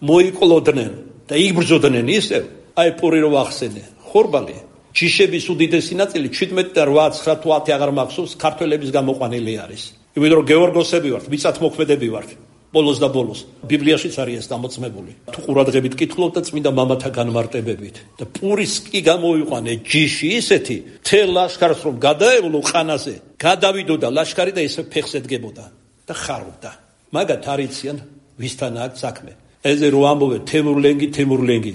მოიკლოდნენ და იბრძოდნენ ისევ, აი პური რო ახსენე, ხორბალი, ჯიშების უდიდესი ნაწილი შვიდმეტი და ოთხ ცხრა თუ ათი აღარ მახსოვს, ქართველების გამოყვანილი არის. იმიტომ რომ გეორგოსები ვართ, მიწათმოქმედები ვართ. ბოლოს და ბოლოს ბიბლიაშიც არის ეს დამოწმებული. თუ ყურადღებით კითხულობ და წმინდა მამათა განმარტებებით და პურის კი გამოიყვანე ჯიში ისეთი, თელ ლაშქარს რომ გადაევლო ყანაზე, გადავიდოდა ლაშქარი და ესე ფეხს ედგებოდა და ხარობდა. მაგათ არიციან ვისთან აქვს საქმე. ეზე რო ამბობენ თემურლენგი, თემურლენგი.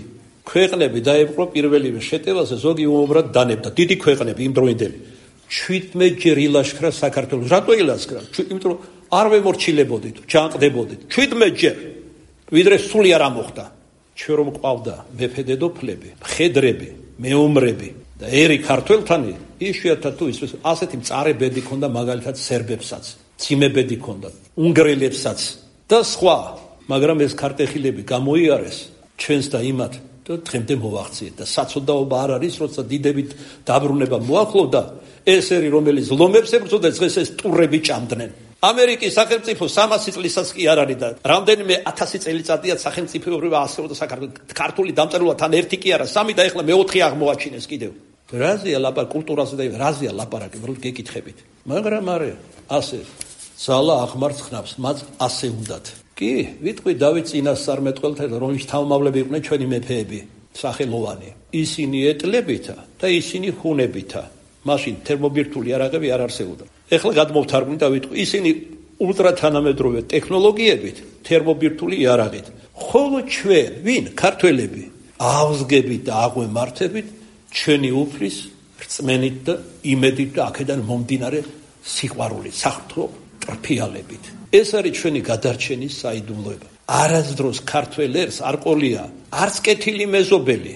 ქვეყნები დაეპყრო პირველივე შეტევაზე, ზოგი უბრალოდ დანებდა. დიდი ქვეყნები იმ დროინდელი. შვიდმეტ ჯერ ილაშქრა საქართველოს. რატო ილაშქრა? იმიტომ რომ არ ვემორჩილებოდით, ჩანყდებოდით. შვიდმეტ ჯერ. ვიდრე სული არ ამოხდა. ჩვენ რომ ყავდა მეფე დედოფლები, მხედრები, მეომრები და ერი ქართველთანი, იშვიათად თუ ის ასეთი მწარე ბედი ქონდა მაგალითად სერბებსაც, ციმებედი ქონდა, უნგრელებსაც და სხვა. მაგრამ ეს ქარტეხილები გამოიარეს ჩვენს და იმათ და დღემდე მოვახციეთ და საწოდაობა არ არის, როცა დიდებით დაბრუნება მოახლოვდა, ეს ერი რომელიც ლომებს ებრძოდა, დღეს ეს ტურები ჭამდნენ. ამერიკის სახელმწიფო სამასი წლისას კი არ არის და რამდენიმე ათასი წელიწადია სახელმწიფოებრივ ასეულდა საქართველოს. ქართული დამწერლობა თან ერთი კი არა, სამი და ეხლა მეოთხე აღმოაჩინეს კიდევ. რაზეა ლაპარაკი კულტურაზე და რაზეა ლაპარაკი, რომ გეკითხებით. მაგრამ არა, ასე ძალა აღმართ ხნავს, მათ ასე უნდათ. კი, ვიტყვი დავით წინასწარმეტყველთან, რომლის თავმავლები იყვნენ ჩვენი მეფეები, სახელოვანი. ისინი ეტლებითა და ისინი ხუნებითა. მაშინ თერმობირთული იარაღები არ არსებობდა. ეხლა გადმოვთარგმნი და ვიტყვი, ისინი ულტრათანამედროვე ტექნოლოგიებით, თერმობირთული იარაღით. ხოლო ჩვენ, ვინ, ქართველები, ავზგებით და აღვემართებით ჩვენი უფლის რწმენით და იმედით და აქედან მომდინარე სიყვარულით, საფრთხო ტრფიალებით. ეს არის ჩვენი გადარჩენის საიდუმლოება. არასდროს ქართველ ერს არ ყოლია არც კეთილი მეზობელი,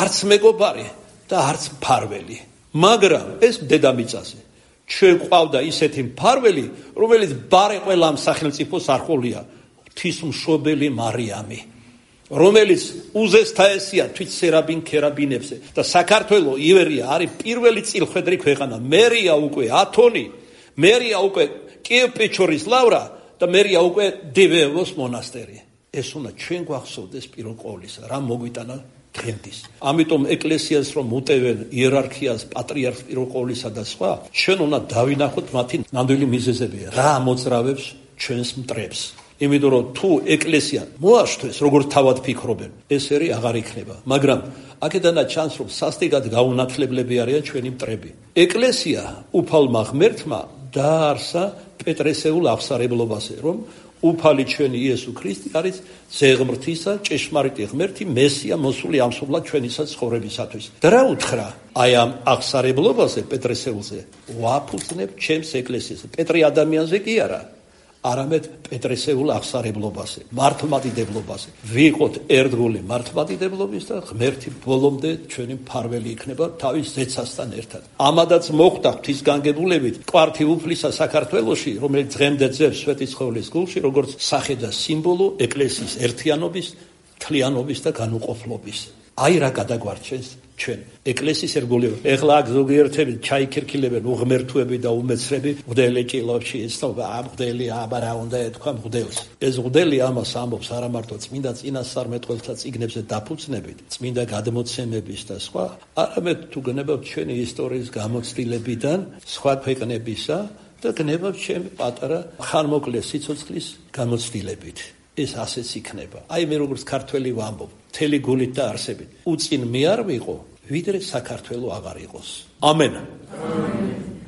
არც მეგობარი და არც მფარველი. მაგრამ ეს დედამიწაზე ჩვენ ყავდა ისეთი მფარველი, რომელიც ბარე ყველა ამ სახელმწიფოს არ ყოლია, ღვთისმშობელი მარიამი, რომელიც უზესთაესია თვით სერაბინ ქერაბინებზე და საქართველოს ივერია არის პირველი წილხვედრი ქვეყანა. მერია უკვე ათონი, მერია უკვე კიევ-პეჩორის ლავრა და მერია უკვე დევეევოს მონასტერი. ეს უნდა ჩვენ გვახსოვდეს პირველ ყოვლისა, რა მოგვიტანა დღემდის. ამიტომ ეკლესიას რომ უტევენ იერარქიას, პატრიარქს პირველ ყოვლისა და სხვა, ჩვენ უნდა დავინახოთ მათი ნამდვილი მიზეზები, რა მოძრავებს ჩვენს მტრებს. იმიტომ რომ თუ ეკლესია მოაშთვეს, როგორც თავად ფიქრობენ, ეს ერი აღარ იქნება. მაგრამ აქედანაც ჩანს, რომ სასტიკად გაუნათლებლები არიან ჩვენი მტრები. ეკლესია უფალმა ღმერთმა დაარსა პეტრესეულ აღსარებლობაზე, რომ უფალი ჩვენი იესო ქრისტე არის ზეღმრთისა, ჭეშმარიტი ღმერთი, მესია მოსული ამსუბლად ჩვენისა ცხოვრებისათვის. და რა უთხრა აი ამ აღსარებლობაზე პეტრესეულზე? ვაფუძნებ ჩემს ეკლესიაზე. პეტრი ადამიანზე კი არა, არამედ პეტრესეულ აღსარებლობაზე, მართლმადიდებლობაზე. ვიყოთ ერთგული მართლმადიდებლობის და ღმერთი ბოლომდე ჩვენი მფარველი იქნება თავის ზეცასთან ერთად. ამადაც მოხდა ღვთისგანგებულებით კვართი უფლისა საქართველოში, რომელიც დღემდე ძევს სვეტიცხოვლის გულში, როგორც სახე და სიმბოლო ეკლესიის ერთიანობის, თლიანობის და განუყოფლობის. აი რა გადაგვარჩენს ჩვენ ეკლესიის ერგოლება. ეხლა აქ ზოგიერთები ჩაიქერქილებენ უღმერთუები და უმეცრები, მღვდელი ჭილებში ეცნობა, ამ მღვდელი აბა რა უნდა ეთქვა მღვდელს. ეს მღვდელი ამას ამბობს არა მარტო წმინდა წინასწარმეტყველთა წიგნებზე დაფუძნებით, წმინდა გადმოცემების და სხვა, არამედ თუ გნებავთ ჩვენი ისტორიის გამოცდილებიდან, სხვა ქვეყნებისა და გნებავთ ჩემი პატარა ხანმოკლე სიცოცხლის გამოცდილებით. ეს ასეც იქნება. აი მე როგორც ქართველი ვამბობ, მთელი გულით და არსებით. უწინ მე არ ვიყო, ვიდრე საქართველო აღარ იყოს. ამენ.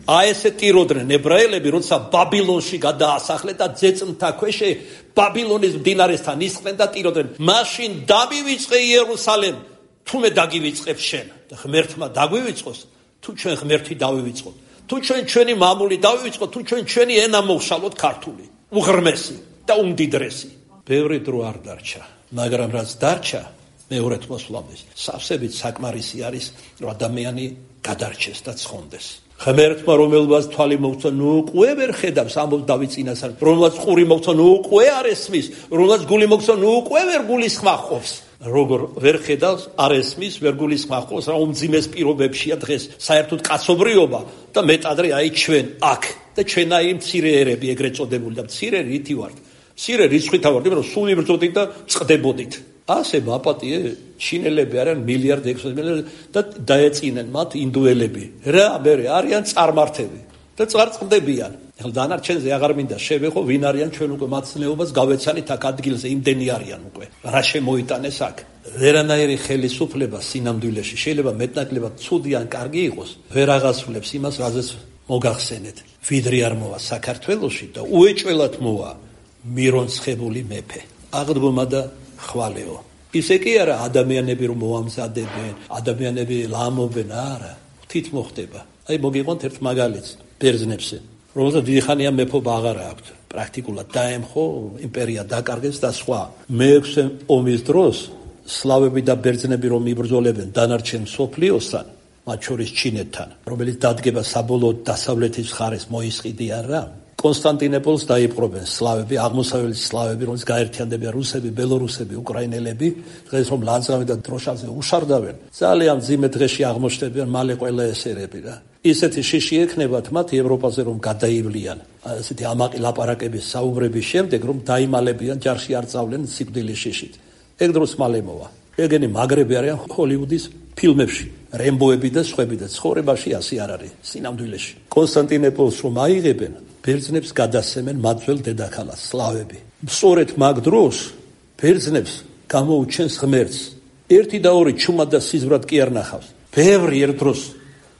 აი ესე ტიროდნენ ებრაელები, როცა ბაბილონში გადაასახლეს და ძეწმთა ქვეშე ბაბილონის მდინარესთან ისხდნენ და ტიროდნენ. მაშინ დამივიწყე იერუსალემ, თუმე დაგივიწყებ შენ. და ღმერთმა დაგვივიწყოს, თუ ჩვენ ღმერთი დავივიწყოთ. თუ ჩვენ ჩვენი მამული დავივიწყოთ, თუ ჩვენ ჩვენი ენა მოვშალოთ ქართული. უღრმესი და უმდიდრესი. ბევრი დრო არ დარჩა, მაგრამ რაც დარჩა მეორედ მოსვლამდე, სავსებით საკმარისი არის, რომ ადამიანი გადარჩეს და ცხონდეს. ღმერთმა რომელსაც თვალი მოუწა, ნუ უკვე ვერ ხედავს, ამბობს დავით წინასწარ, რომელსაც ყური მოუწა, ნუ უკვე არ ესმის, რომელსაც გული მოუწა, ნუ უკვე ვერ გულისხმა ჰყოფს. როგორ ვერ ხედავს, არ ესმის, ვერ გულისხმა ჰყოფს, რა უმძიმეს პირობებშია დღეს საერთოდ კაცობრიობა და მეტადრე აი ჩვენ აქ და ჩვენ აი მცირე ერები ეგრეთ წოდებული და მცირე რითი ვართ. მცირე რიცხვითა ვართ, იმიტომ რომ სულ იბრძოდით და წყდებოდით. ასე მაპატიე ჩინელები არიან მილიარდ ექვსი მილიარდ და დაეწინნენ მათ ინდუელები. რა მე არიან წარმართები და წარწყდებიან. ეხლა დანარჩენზე აღარ მინდა შევეხო ვინ არიან ჩვენ უკვე მაცნეობას გავეცანით აქ ადგილზე იმდენი არიან უკვე. რა შემოიტანეს აქ. ვერანაირი ხელისუფლება სინამდვილეში შეიძლება მეტნაკლებად ცუდი ან კარგი იყოს, ვერ აღასრულებს იმას, რაზეც მოგახსენეთ. ვიდრე არ მოვა საქართველოში და უეჭველად მოვა მირონცხებული მეფე. აღდგომა და ხვალეო. ისე კი არა ადამიანები რომ მოამზადებენ, ადამიანები ლამობენ, არა, თით მოხდება. აი მოგიყვანთ ერთ მაგალითს ბერძნებზე, რომელსაც დიდი ხანია მეფობა აღარ აქვს. პრაქტიკულად დაემხო, იმპერია დაკარგეს და სხვა. მეექვსე ომის დროს სლავები და ბერძნები რომ იბრძოლებენ დანარჩენ მსოფლიოსთან, მათ შორის ჩინეთთან, რომელიც დადგება საბოლოოდ დასავლეთის მხარეს მოისყიდიან რა. კონსტანტინოპოლს დაიპყრობენ სლავები, აღმოსავლეთის სლავები, რომელიც გაერთიანდებიან რუსები, ბელორუსები, უკრაინელები, დღეს რომ ლანძღავი და დროშაზე უშარდავენ, ძალიან მძიმე დღეში აღმოჩნდებიან მალე ყველა ეს ერები რა. ისეთი შიში ექნებათ მათ ევროპაზე რომ გადაივლიან. ასეთი ამაყი ლაპარაკების საუბრების შემდეგ რომ დაიმალებიან, ჯარში არ წავლენ სიკვდილის შიშით. ეგ დროს მალე მოვა. ეგენი მაგრები არიან ჰოლივუდის ფილმებში, რემბოები და სხვები და ცხოვრებაში ასე არ არის სინამდვილეში. კონსტანტინოპოლს რომ აიღებენ, ბერძნებს გადასცემენ მათველ დედაქალაქს სლავები. სწორედ მაგ დროს ბერძნებს გამოუჩენს ღმერთს. ერთი და ორი ჩუმად და სიზმრად კი არ ნახავს. ბევრი ერთ დროს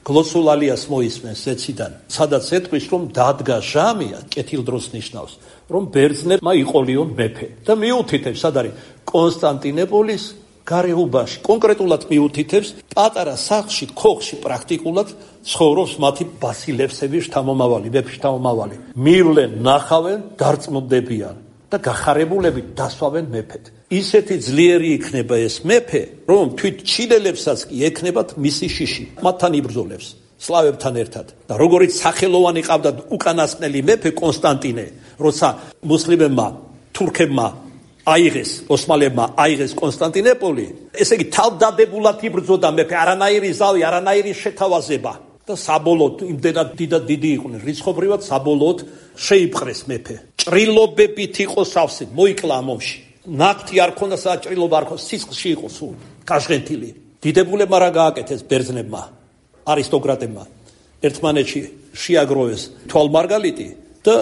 გლოცულალიას მოისმენს ზეციდან, სადაც ეთქვის რომ დადგა ჟამია, კეთილ დროს ნიშნავს, რომ ბერძნებმა იყოლიონ მეფე და მიუთითებს, სად არის კონსტანტინოპოლის გარეუბანში, კონკრეტულად მიუთითებს პატარა სახლში, ქოხში პრაქტიკულად ცხოვრობს მათი ბასილევსების შთამომავალი, მეფის შთამომავალი. მივლენ, ნახავენ, დარწმუნდებიან და გახარებულებით დასვავენ მეფედ. ისეთი ძლიერი იქნება ეს მეფე, რომ თვით ჩინელებსაც კი ექნებათ მისი შიში, მათთან იბრძოლებს, სლავებთან ერთად. და როგორიც სახელოვანი ყავდათ უკანასკნელი მეფე კონსტანტინე, როცა მუსლიმებმა, თურქებმა აიღეს, ოსმალებმა აიღეს კონსტანტინოპოლი, ესე იგი თავდადებულად იბრძოდა მეფე, არანაირი ზავი, არანაირი შეთავაზება და საბოლოოდ იმდენად დიდად დიდი იყვნენ, რიცხობრივად საბოლოოდ შეიპყრეს მეფე. ჭრილობებით იყო სავსე, მოიკლა ამ ომში. ნაკვთი არ ქონდა, სადაც ჭრილობა არ ქონდა, სისხლში იყო სულ, კაშღენთილი. დიდებულებმა რა გააკეთეს ბერძნებმა, არისტოკრატებმა, ერთმანეთში შეაგროვეს თვალმარგალიტი და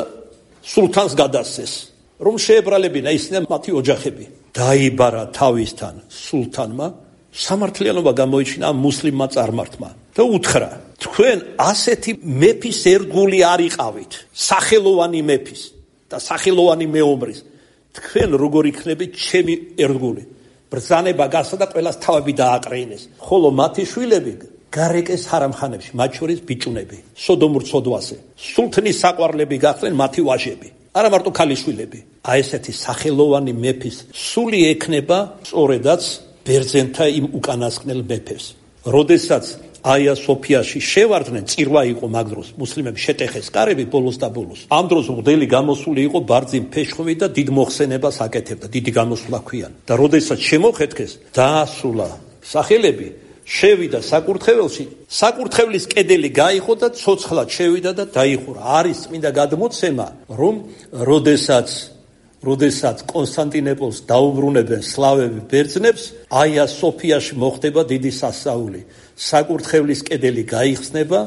სულთანს გადასცეს. რომ შეებრალებინა ისინი მათი ოჯახები. დაიბარა თავისთან სულთანმა, სამართლიანობა გამოიჩინა მუსლიმმა წარმართმა და უთხრა, თქვენ ასეთი მეფის ერთგული არ იყავით, სახელოვანი მეფის და სახელოვანი მეომრის, თქვენ როგორ იქნებით ჩემი ერთგული. ბრძანება გასცა და ყველას თავები დააკრეინეს, ხოლო მათი შვილები გარეკეს ჰარამხანებში, მათ შორის ბიჭუნები, სოდომურ ცოდვაზე. სულთნის საყვარლები გახდნენ მათი ვაჟები. არა მარტო ქალიშვილები. აი ესეთი სახელოვანი მეფის სული ექნება სწორედაც ბერძენთა იმ უკანასკნელ მეფეს. როდესაც აია სოფიაში შევარდნენ, წირვა იყო მაგ დროს, მუსლიმები შეტეხეს კარები ბოლოს და ბოლოს. ამ დროს მღვდელი გამოსული იყო ბარძიმ ფეშხოვი და დიდ მოხსენებას აკეთებდა, დიდი გამოსვლა ქვიან. და როდესაც შემოხეთქეს, დაასულა სახელები, შევიდა საკურთხეველში, საკურთხევლის კედელი გაიხო და ცოცხლად შევიდა და დაიხურა. არის წმინდა გადმოცემა, რომ როდესაც როდესაც კონსტანტინოპოლს დაუბრუნებენ სლავები ბერძნებს, აია სოფიაში მოხდება დიდი სასაული. საკურთხევლის კედელი გაიხსნება,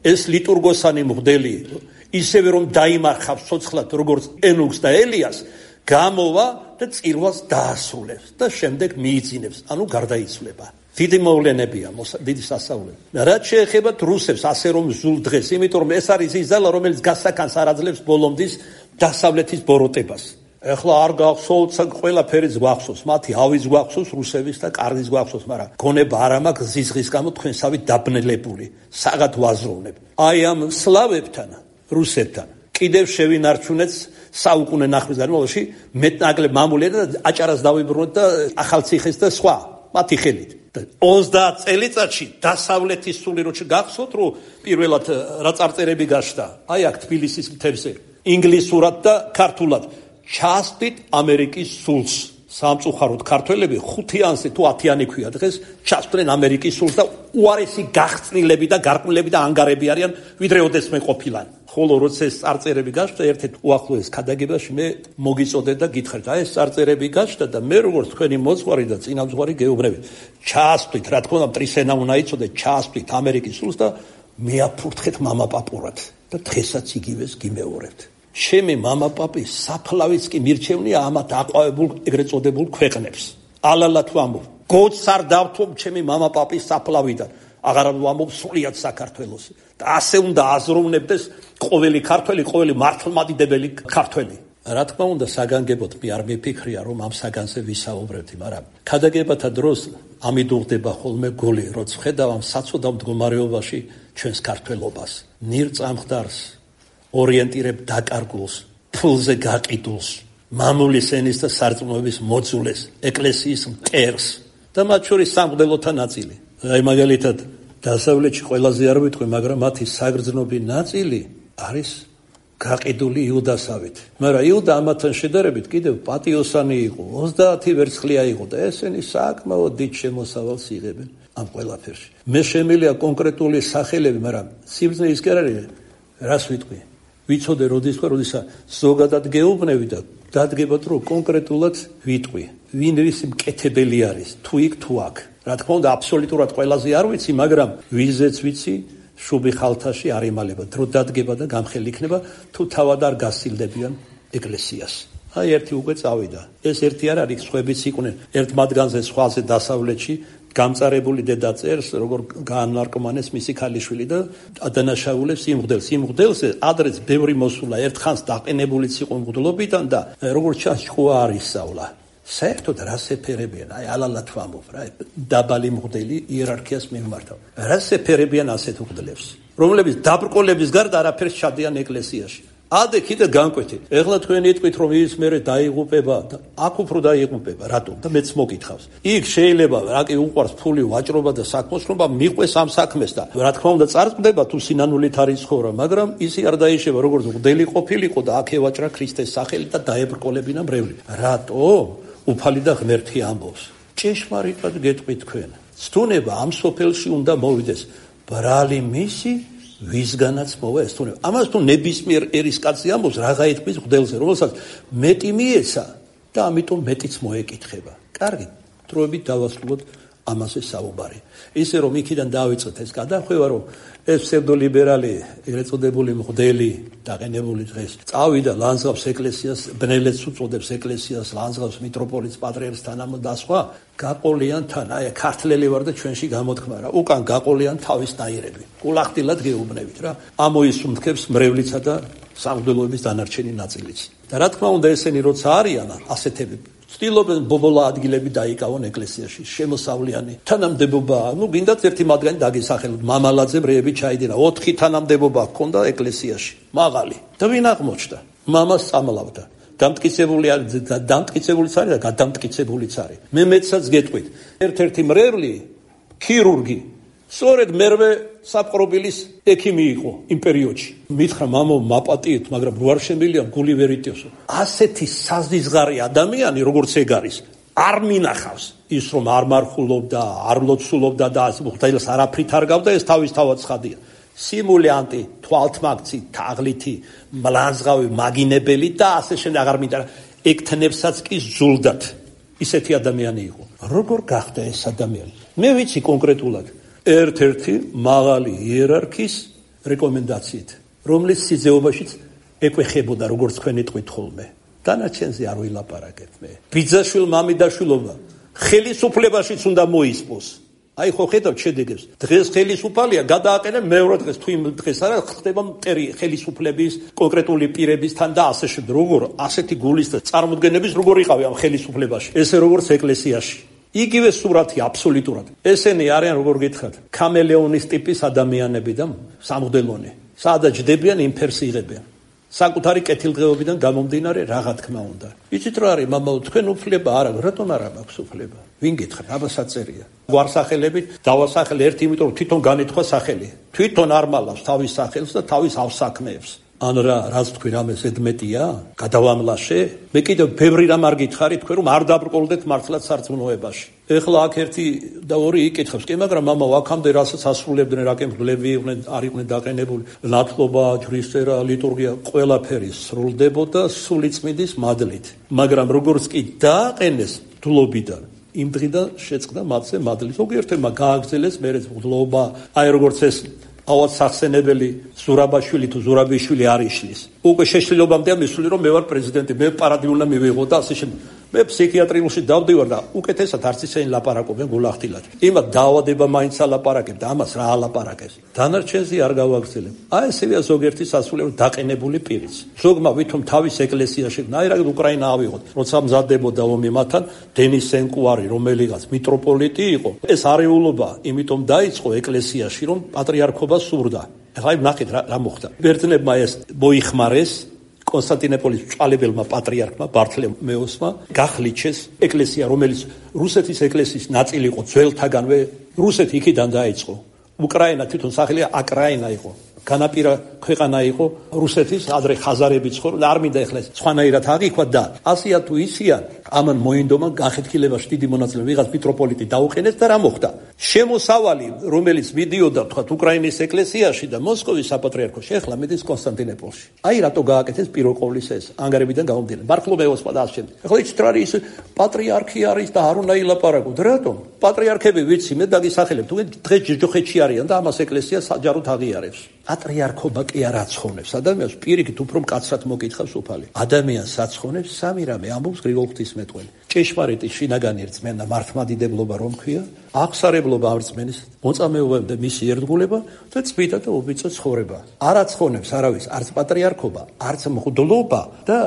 ეს ლიტურგოსანი მღვდელი, ისევე რომ დაიმარხავს ცოცხლად როგორც ენუქს და ელიას, გამოვა და წირვას დაასრულებს და შემდეგ მიიძინებს, ანუ გარდაიცვლება. დიდი მოვლენებია, დიდი სასაულები. რაც შეეხება რუსებს, ასე რომ ზულ დღეს, იმიტომ რომ ეს არის ის ძალა, რომელიც გასაკანს არ აძლევს ბოლომდის დასავლეთის ბოროტებას. ეხლა არ გახსოვთ, ყველაფერიც გვახსოვს, მათი ავის გვახსოვს, რუსების და კარგის გვახსოვს, მაგრამ გონება არ მაქვს ზიზღის გამო თქვენსავით დაბნელებული, საღად ვაზროვნებ. აი ამ სლავებთან, რუსებთან კიდევ შევინარჩუნეთ საუკუნე ნახევრის განმავლობაში მეტნაკლებ მამულები და აჭარას დავიბრუნოთ და ახალციხეს და სხვა მათი ხელით. ოცდაათ წელიწადში დასავლეთის სული როჩი გახსოვთ, რომ პირველად რა წარწერები გაშდა, აი აქ თბილისის მთებზე, ინგლისურად და ქართულად, ჩასვით ამერიკის სულს. სამწუხაროდ ქართველები ხუთიანსი თუ ათიანი ქვია დღეს ჩასვდნენ ამერიკის სულს და უარესი გახსნილები და გარყვნილები და ანგარები არიან, ვიდრე ოდესმე ყოფილან. ხოლო როცა ეს წარწერები გაშდა, ერთ-ერთ უახლოეს ქადაგებაში მე მოგიწოდეთ და გითხრით, აი ეს წარწერები გაშდა და მე როგორც თქვენი მოძღვარი და წინამძღვარი გეუბნებით, ჩასვით, რა თქმა უნდა, მტრისენა უნდა იცოდეთ, ჩასვით ამერიკის სულს და მეაფურთხეთ მამაპაპურად და დღესაც იგივეს გიმეორებთ. ჩემი მამაპაპი საფლავიც კი მირჩევნია ამათ აყვავებულ ეგრეთ წოდებულ ქვეყნებს. ალალათ ვამბობ, გოც არ დავთომ ჩემი მამაპაპის საფლავიდან. აღარ ვამბობ სულიად საქართველოს. და ასე უნდა აზროვნებდეს ყოველი ქართველი, ყოველი მართლმადიდებელი ქართველი. რა თქმა უნდა, საგანგებოდ მე არ მიფიქრია, რომ ამ საგანზე ვისაუბრებდი, მაგრამ ქადაგებათა დროს ამიდუღდება ხოლმე გული, როცა ხედავ ამ საცოდავ მდგომარეობაში ჩვენს ქართველობას. ნირწამხდარს ორიენტირებ დაკარგულს, ფულზე გაყიდულს, მამულის ენის და სარწმუნოების მოძულეს, ეკლესიის მტერს და მათ შორის სამღვდელოთა ნაწილი. აი მაგალითად, დასავლეთში ყველაზე არ ვიტყვი, მაგრამ მათი საგრძნობი ნაწილი არის გაყიდული იუდასავით. მაგრამ იუდა ამათთან შედარებით კიდევ პატიოსანი იყო, ოცდაათი ვერცხლია იყო და ესენი საკმაოდ დიდ შემოსავალს იღებენ ამ ყველაფერში. მე შემიძლია კონკრეტული სახელები, მაგრამ სიბრძნე ის კი არ არის, რას ვიტყვი. ვიცოდე როდის ხო, როდესაც ზოგადად გეუბნები და დადგებათ, რომ კონკრეტულად ვიტყვი, ვინ ის მკეთებელი არის, თუ იქ თუ აქ. რა თქმა უნდა, აბსოლუტურად ყველაზე არ ვიცი, მაგრამ ვიზეც ვიცი, შუბი ხალთაში არ იმალება, დრო დადგება და გამხელი იქნება, თუ თავად არ გასცილდებიან ეკლესიას. აი ერთი უკვე წავიდა. ეს ერთი არ არის, სხვებიც იყვნენ. ერთ მათგანზე სხვაზე დასავლეთში გამწარებული დედა წერს, როგორ გაანარკომანეს მისი ქალიშვილი და ადანაშაულებს იმ მღვდელს. იმ მღვდელზე ადრეც ბევრი მოსულა, ერთხანს დაყენებულიც იყო მღვდლობიდან და როგორც ჩანს, ჭკუა არ ისწავლა. საერთოდ რას ეფერებიან? აი ალალათ ვამბობ რა, დაბალი მღვდელი იერარქიას მიმართავ. რას ეფერებიან ასეთ მღვდლებს, რომლებიც დაბრკოლების გარდა არაფერს ჩადიან ეკლესიაში? ადე კიდე განკვეთით. ეხლა თქვენ იტყვით, რომ ის მერე დაიღუპება და აქ უფრო დაიღუპება, რატომ? და მეც მოგითხავს. იქ შეიძლება რა კი უყვარს ფული, ვაჭრობა და საქმოსნობა, მიყვეს ამ საქმეს და რა თქმა უნდა წარწმდება თუ სინანულით არის ცხოვრა, მაგრამ ისი არ დაიშება, როგორც მღვდელი ყოფილიყო და აქ ევაჭრა ქრისტეს სახელი და დაებრკოლებინა მრევლი. რატომ? უფალი და ღმერთი ამბობს. ჭეშმარიტად გეტყვით თქვენ. ცდუნება ამ სოფელში უნდა მოვიდეს. ბრალი მისი ვისგანაც მოვა ეს თუნება. ამას თუ ნებისმიერ ერის კაცი ამბობს, რაღა ეთქმის მღვდელზე, რომელსაც მეტი მიეცა და ამიტომ მეტიც მოეკითხება. კარგი, დროებით დავასრულოთ ამაზე საუბარი. ისე რომ იქიდან დავიწყეთ ეს გადახვევა, რომ ეს ფსევდოლიბერალი, ეგრეთ წოდებული მღვდელი, დაყენებული დღეს წავიდა ლანძღავს ეკლესიას, ბნელეთს უწოდებს ეკლესიას, ლანძღავს მიტროპოლიტს, პატრიარქს თანამო და სხვა, გაყოლიან თან, აი ქართლელი ვარ და ჩვენში გამოთქმა რა, უკან გაყოლიან თავის ნაირები. კულახდილად გეუბნებით რა. ამოისუმთქებს მრევლიცა და სამღვდელოების დანარჩენი ნაწილიც. და რა თქმა უნდა, ესენი როცა არიან ასეთები ცდილობენ ბობოლა ადგილები დაიკავონ ეკლესიაში, შემოსავლიანი თანამდებობა, ну გინდათ ერთი მათგანი დაგესახელოთ, მამალაძე ბრეები ჩაიდინა, ოთხი თანამდებობა ჰქონდა ეკლესიაში, მაღალი. და ვინ აღმოჩნდა? მამას წამლავდა. დამტკიცებული არის, დამტკიცებულიც არის და გადამტკიცებულიც არის. მე მეცაც გეტყვით, ერთ-ერთი მრევლი, ქირურგი, სწორედ მერვე საპყრობილის ექიმი იყო იმ პერიოდში. მითხრა მამო, მაპატიეთ, მაგრამ რო არ შემიძლია გული ვერ იტევსო. ასეთი საზიზღარი ადამიანი, როგორც ეგ არის, არ მინახავს ის, რომ არ მარხულობდა, არ ლოცულობდა და მღვდელს არაფრით არ გავდა, ეს თავის თავად ცხადია. სიმულიანტი, თვალთმაგცი, თაღლითი, მლანძღავი, მაგინებელი და ასე შემდეგ აღარ მინდა. ეკთნებსაც კი ზულდათ. ისეთი ადამიანი იყო. როგორ გახდა ეს ადამიანი? მე ვიცი კონკრეტულად. ერთ-ერთი მაღალი იერარქის რეკომენდაციით, რომლის სიძეობაშიც ეკვეხებოდა, როგორც თქვენ იტყვით ხოლმე. დანარჩენზე არ ვილაპარაკებ მე. ბიძაშვილ მამიდაშვილობა ხელისუფლებაშიც უნდა მოისპოს. აი ხო ხედავთ შედეგებს. დღეს ხელისუფალია, გადააყენე მეორე დღეს, თუ იმ დღეს არა ხდება მტერი ხელისუფლების კონკრეტული პირებისთან და ასე შემდეგ. როგორ ასეთი გულის და წარმოდგენების როგორ იყავი ამ ხელისუფლებაში? ესე როგორც ეკლესიაში. იგივე სურათი აბსოლუტურად. ესენი არიან, როგორ გითხრათ, კამელეონის ტიპის ადამიანები და სამღვდელონი. სადაც ჯდებიან, იმ ფერს იღებიან. საკუთარი კეთილდღეობიდან გამომდინარე რაღა თქმა უნდა. იცით რა არის მამაო, თქვენ უფლება არა, რატომ არა მაქვს უფლება? ვინ გითხრა, აბა საწერია. გვარსახელებით დავასახელე ერთი, იმიტომ რომ თვითონ განეთქვა სახელი. თვითონ არ მალავს თავის სახელს და თავის ავსაქმეებს. ან რა, რაც თქვი რამე ზედმეტია? გადავამლაშე? მე კიდევ ბევრი რამ არ გითხარი თქვენ რომ არ დაბრკოლდეთ მართლაც სარწმუნოებაში. ეხლა აქ ერთი და ორი იკითხებს, კი, მაგრამ მამაო, აქამდე რასაც ასრულებდნენ, რა კემფლები იყვნენ, არ იყვნენ დაყენებული, ნათლობა, ჯვრისწერა, ლიტურგია, ყველაფერი სრულდებოდა სულიწმიდის მადლით. მაგრამ როგორც კი დააყენეს დლობიდან, იმ დღიდან შეწყდა მათზე მადლი. ზოგიერთმა გააგრძელეს მერეც დლობა, აი როგორც ეს ავად სახსენებელი ზურაბაშვილი თუ ზურაბიშვილი არ იშლის. უკვე შეშლილობამდეა მისული რომ მე ვარ პრეზიდენტი, მე პარადი უნდა მივიღო და ასე შემდეგ. მე ფსიქიატრიულში დავდივარ და უკეთესად არც ისინი ლაპარაკობენ გულახდილად. იმათ დაავადება მაინც ალაპარაკებ და ამას რა ალაპარაკეს. დანარჩენზე არ გავაგრძელებ. აი ესეა ზოგიერთი სასულიერო დაყენებული პირიც. ზოგმა ვითომ თავის ეკლესიაში ნაირად უკრაინა ავიღოთ, როცა მზადდებოდა ომი მათთან, დენის სენკუარი, რომელიღაც მიტროპოლიტი იყო. ეს არეულობა იმიტომ დაიწყო ეკლესიაში, რომ პატრიარქობა სურდა. ეხლა ნახეთ რა, რა მოხდა. ბერძნებმა ეს მოიხმარეს კონსტანტინოპოლის მწვალებელმა პატრიარქმა ბართლემეოსმა გახლიჩეს ეკლესია, რომელიც რუსეთის ეკლესიის ნაწილი იყო ძველთაგანვე. რუსეთი იქიდან დაიწყო. უკრაინა თვითონ სახელია აკრაინა იყო. განაპირა ქვეყანა იყო რუსეთის, ადრე ხაზარები ცხოვრობდნენ და არ მინდა ეხლა სხვანაირად აღიქვათ და ასია თუ ისია, ამან მოინდომა განხეთქილებაში დიდი მონაწილე ვიღაც მიტროპოლიტი დაუყენეს და რა მოხდა? შემოსავალი, რომელიც მიდიოდა თქვათ უკრაინის ეკლესიაში და მოსკოვის საპატრიარქოში, ეხლა მიდის კონსტანტინოპოლში. აი რატო გააკეთეს პირველყოვლისა ეს ანგარებიდან გამომდინარე. ბართლომეოსმა და ასე შემდეგ. ეხლა იცით რა არის, პატრიარქი არის და არ უნდა ილაპარაკოთ. რატომ? პატრიარქები ვიცი, მე დაგისახელებ, თუ დღეს ჯოჯოხეთში არიან და ამას ეკლესია საჯაროდ აღიარებს. პატრიარქობა კი არ აცხონებს ადამიანს, პირიქით უფრო მკაცრად მოკითხავს უფალი. ადამიანს აცხონებს სამი რამე, ამბობს გრიგოლ ღვთისმეტყველი. ჭეშმარიტი შინაგანი რწმენა, მართლმადიდებლობა რომ ქვია, აღსარებლობა ამ რწმენის, მოწამეობა და მისი ერთგულება და წმინდა და უბიწო ცხოვრება. არ აცხონებს არავის, არც პატრიარქობა, არც მღვდლობა და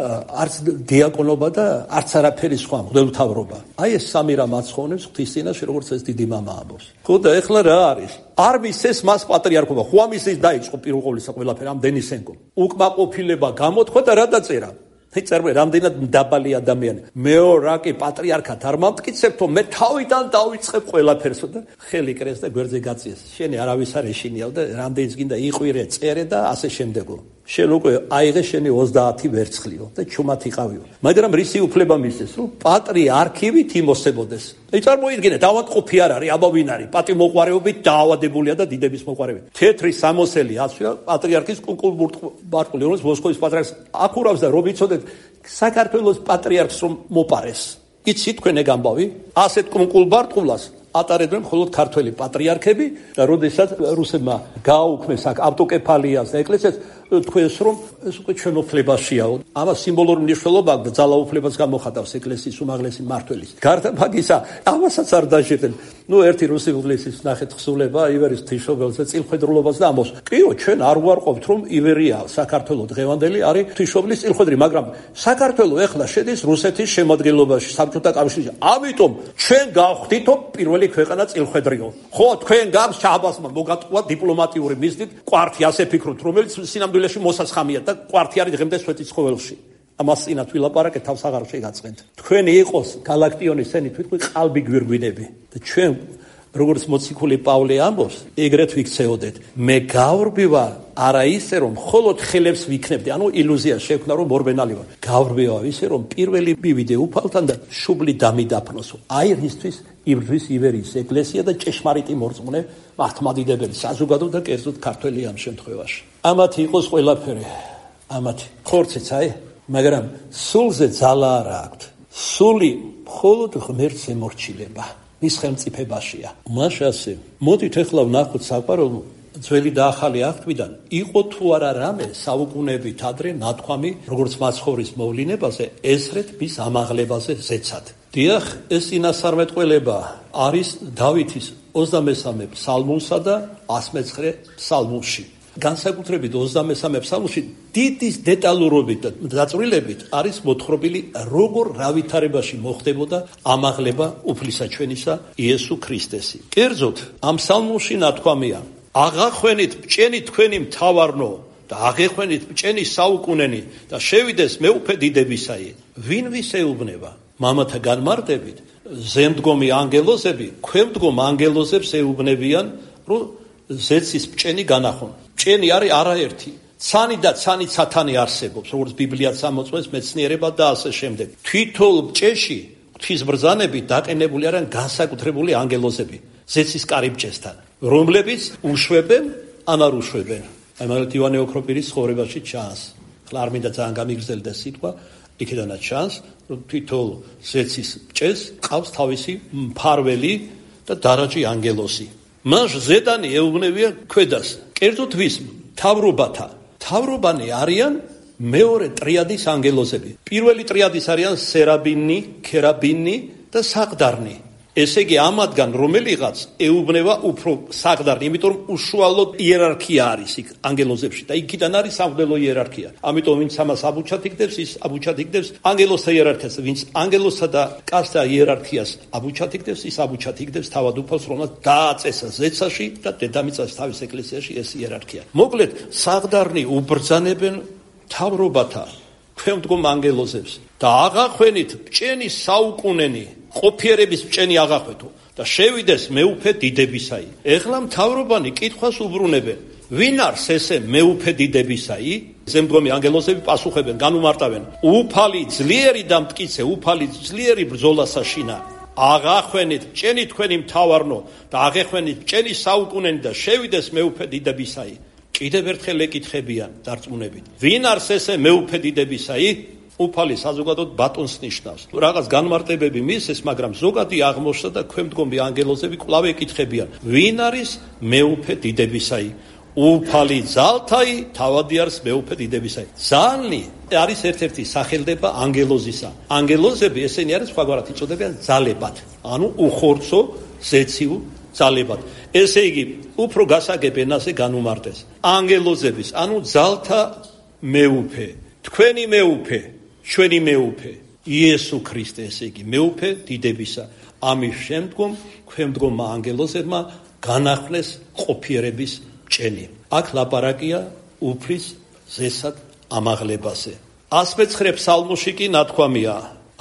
არც დიაკონობა და არც არაფერი სხვა მღვდელმთავრობა. აი ეს სამი რამ აცხონებს ღვთის წინაშე, როგორც ეს დიდი მამა ამბობს. ხო და ეხლა რა არის? არ მისცეს მას პატრიარქობა, ხო ამისის დაიწყო პირველყოვლისა ყველაფერი ამ დენისენკომ. უკმაყოფილება გამოთქვა და რა დაწერა? წერმე რამდენად დაბალი ადამიანი. მეო რა კი პატრიარქად არ მომტკიცებთო, მე თავიდან დავიწყებ ყველაფერს და ხელი კრეს და გვერდზე გაწიეს. შენი არავის არ ეშინიავ და რამდენიც გინდა იყვირე, წერე და ასე შემდეგო. შენ უკვე აიღე შენი ოცდაათი ვერცხლიო და ჩუმად იყავიო. მაგრამ რისი უფლება მისცეს, რომ პატრიარქივით იმოსებოდეს. აი წარმოიდგინეთ, ავადმყოფი არ არის, აბა ვინ არის? პატიმოყვარეობით დაავადებულია და დიდების მოყვარებით. თეთრი სამოსელი აცვია პატრიარქის კუნკულ-ბარტყული, რომელიც მოსკოვის პატრიარქს აკურავს და რომ იცოდეთ, საქართველოს პატრიარქს რომ მოპარეს. იცით თქვენ ეგ ამბავი? ასეთ კუნკულ-ბარტყულას ატარებდნენ მხოლოდ ქართველი პატრიარქები და როდესაც რუსებმა გააუქმეს აქ ავტოკეფალიას და ეკლესიას, თქვენს რომ ეს უკვე ჩვენ უფლებაშია. ამას სიმბოლური მნიშვნელობა აქვს და ძალაუფლებას გამოხატავს ეკლესიის უმაღლესი მმართველის. გარდა მაგისა, ამასაც არ დაჟიდნენ. ნუ ერთი რუსი უღლისის ნახეთ ხსულება ივერის ღვთისმშობელზე წილხვედრულობას და ამბობს, კიო, ჩვენ არ ვარყოფთ რომ ივერია საქართველოს დღევანდელი არის ღვთისმშობლის წილხვედრი, მაგრამ საქართველოს ეხლა შედის რუსეთის შემადგენლობაში, საბჭოთა კავშირში. ამიტომ ჩვენ გავხდითო პირველი ქვეყანა წილხვედრიო. ხო, თქვენ გაქვს ჩაბასმა მოგატყუა დიპლომატიური მიზნით კვართი ასე ფიქრობთ, რომელიც სინამდვილეში მოსაცხამია და კვართი არის დღემდე სვეტის ცხოველში. ამას წინათ ვილაპარაკეთ, თავს აღარ შეგაწყენთ. თქვენი იყოს გალაქტიონის სენი თვითონ ყალბი გვირგვინები და ჩვენ როგორც მოციქული პავლე ამბობს, ეგრეთ ვიქცეოდეთ. მე გავრბივა არა ისე რომ მხოლოდ ხელებს ვიქნებდი, ანუ ილუზია შექმნა რომ მორბენალი ვარ. გავრბივა ისე რომ პირველი მივიდე უფალთან და შუბლი დამიდაფნოსო. აი რისთვის იბრძვის ივერიის ეკლესია და ჭეშმარიტი მორწმუნე მართლმადიდებელი საზოგადო და კერძოდ ქართველი ამ შემთხვევაში. ამათი იყოს ყველაფერი. ამათი ხორციც აი, მაგრამ სულზე ძალა არ აქვს. სული მხოლოდ ღმერთს ემორჩილება. მის ხელმწიფებაშია. მაშასე, მოდით ეხლა ვნახოთ საყვარელო ძველი და ახალი აღთქმიდან იყო თუ არა რამე საუკუნეებით ადრე ნათქვამი, როგორც მაცხოვრის მოვლენებაზე, ესრეთ მის ამაღლებაზე ზეცად. დიახ, ეს წინასწარმეტყველება არის დავითის ოცდამესამე ფსალმუნსა და ასმეცხრე ფსალმუნში. განსაკუთრებით ოცდამესამე ფსალმუნში დიდი დეტალურობით და დაწვრილებით არის მოთხრობილი, როგორ რა ვითარებაში მოხდებოდა ამაღლება უფლისაჩვენისა იესო ქრისტესი. კერძოდ, ამ ფსალმუნში ნათქვამია: აღახვენით ბჭენი თქვენი მთავარნო და აღეხვენით ბჭენი საუკუნენი და შევიდეს მეუფე დიდებისაი. ვინ ვის ეუბნება? მამათა განმარტებით ზემდგომი ანგელოზები ქვემდგომ ანგელოზებს ეუბნებიან, რომ ზეცის ბჭენი განახონ. ბჭენი არის არაერთი. ცანი და ცანი სათანი არსებობს, როგორც ბიბლიაც ამოწმებს, მეცნიერება და ასე შემდეგ. თვითონ ბჭეში ღვთისბრძანებით დაყენებული არიან განსაკუთრებული ანგელოზები ზეცის კარიბჭესთან, რომლებიც უშვებენ ან არ უშვებენ. აი მაგალითად ივანე ოქროპირის ცხოვრებაში ჩანს. ხლა არ მინდა ძალიან გამიგრძელდა სიტყვა, იქედანაც ჩანს, რომ თვითონ ზეცის ბჭეს ყავს თავისი მფარველი და დარაჯი ანგელოზი. მას ზედანი ეუბნებიან ქვედას. კერძოდ ვის? თავრობათა. თავრობანი არიან მეორე ტრიადის ანგელოზები. პირველი ტრიადის არიან სერაბინი, ქერაბინი და საყდარნი. ესე იგი ამათგან რომელიღაც ეუბნება უფრო საყდარნი, იმიტომ რომ უშუალოდ იერარქია არის იქ ანგელოზებში და იქიდან არის სამღვდელო იერარქია. ამიტომ ვინც ამას აბუჩად იგდებს, ის აბუჩად იგდებს ანგელოზთა იერარქიას, ვინც ანგელოზთა და კაცთა იერარქიას აბუჩად იგდებს, ის აბუჩად იგდებს თავად უფალს, რომელსაც დააწესა ზეცაში და დედამიწას თავის ეკლესიაში ეს იერარქია. მოკლედ, საყდარნი უბრძანებენ თავრობათა ქვემდგომ ანგელოზებს და აღახვენით ბჭენი საუკუნენი, ყოფიერების ბჭენი აღახვეთო და შევიდეს მეუფე დიდებისაი. ეხლა მთავრობანი კითხვას უბრუნებენ, ვინ არის ესე მეუფე დიდებისაი? ზემდგომი ანგელოზები პასუხებენ, განუმარტავენ, უფალი ძლიერი და მტკიცე, უფალი ძლიერი ბრძოლასაშინა. აღახვენით ბჭენი თქვენი მთავარნო და აღეხვენით ბჭენი საუკუნენი და შევიდეს მეუფე დიდებისაი. კიდევ ერთხელ ეკითხებიან დარწმუნებით, ვინ არის ესე მეუფე დიდებისაი? უფალი საზოგადოდ ბატონს ნიშნავს. რაღაც განმარტებები მისცეს, მაგრამ ზოგადი აღმოჩნდა და ქვემდგომი ანგელოზები კვლავ ეკითხებიან, ვინ არის მეუფე დიდებისაი? უფალი ძალთაი, თავადი არის მეუფე დიდებისაი. ძალნი არის ერთ-ერთი სახელდება ანგელოზისა. ანგელოზები ესენი არის სხვაგვარად იწოდებიან ძალებად, ანუ უხორცო ზეციუ ძალებად. ესე იგი, უფრო გასაგებ ენაზე განუმარტეს. ანგელოზების, ანუ ძალთა მეუფე, თქვენი მეუფე, ჩვენი მეუფე, იესო ქრისტე, ესე იგი, მეუფე დიდებისა. ამის შემდგომ ქვემდგომმა ანგელოზებმა განახვნეს ყოფიერების ბჭენი. აქ ლაპარაკია უფლის ზესად ამაღლებაზე. ას მეცხრე ფსალმოში კი ნათქვამია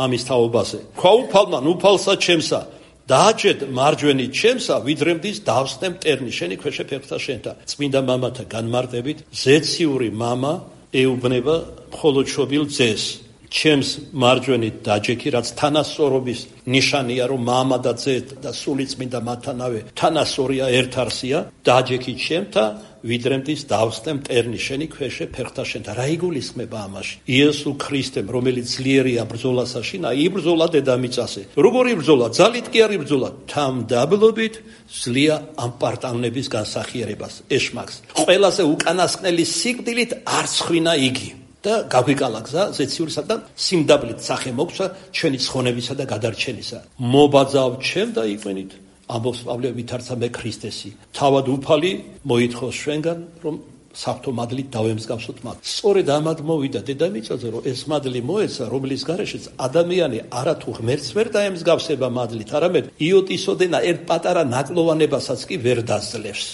ამის თაობაზე. ქვა უფალმა უფალსა ჩემსა, დააჭედ მარჯვენით ჩემსა, ვიდრემდის დავსნე მტერნი შენი ქვეშე ფეხთა შენთა. წმინდა მამათა განმარტებით, ზეციური მამა ეუბნება მხოლოდ შობილ ძეს. ჩემს მარჯვენით დაჯექი, რაც თანასწორობის ნიშანია, რომ მამა და ძე და სული წმინდა მათთანავე თანასწორია, ერთ არსია. დაჯექი ჩემთა, ვიდრემდის დავსნე მტერნი შენი ქვეშე ფეხთა შენთა. რა იგულისხმება ამაში? იესო ქრისტემ, რომელიც ძლიერია ბრძოლასაშინა, იბრძოლა დედამიწაზე. როგორი ბრძოლა? ძალით კი არ იბრძოლა, თამდაბლობით ძლია ამ პარტანების განსახიერებას, ეშმაკს. ყველაზე უკანასკნელი სიკვდილით არ ცხვინა იგი. და გაგვიკალა გზა ზეციურისა და სიმდაბლით სახე მოგცა ჩვენი ცხონებისა და გადარჩენისა. მობაძავ ჩემ და იყვენით, ამბობს პავლე ვითარცა მე ქრისტესი. თავად უფალი მოითხოვს ჩვენგან, რომ საფრთხო მადლით დავემსგავსოთ მათ. სწორედ ამად მოვიდა დედამიწაზე, რომ ეს მადლი მოეცა, რომლის გარეშეც ადამიანი არათუ ღმერთს ვერ დაემსგავსება მადლით, არამედ იოტისოდენა ერთ პატარა ნაკლოვანებასაც კი ვერ დაძლევს.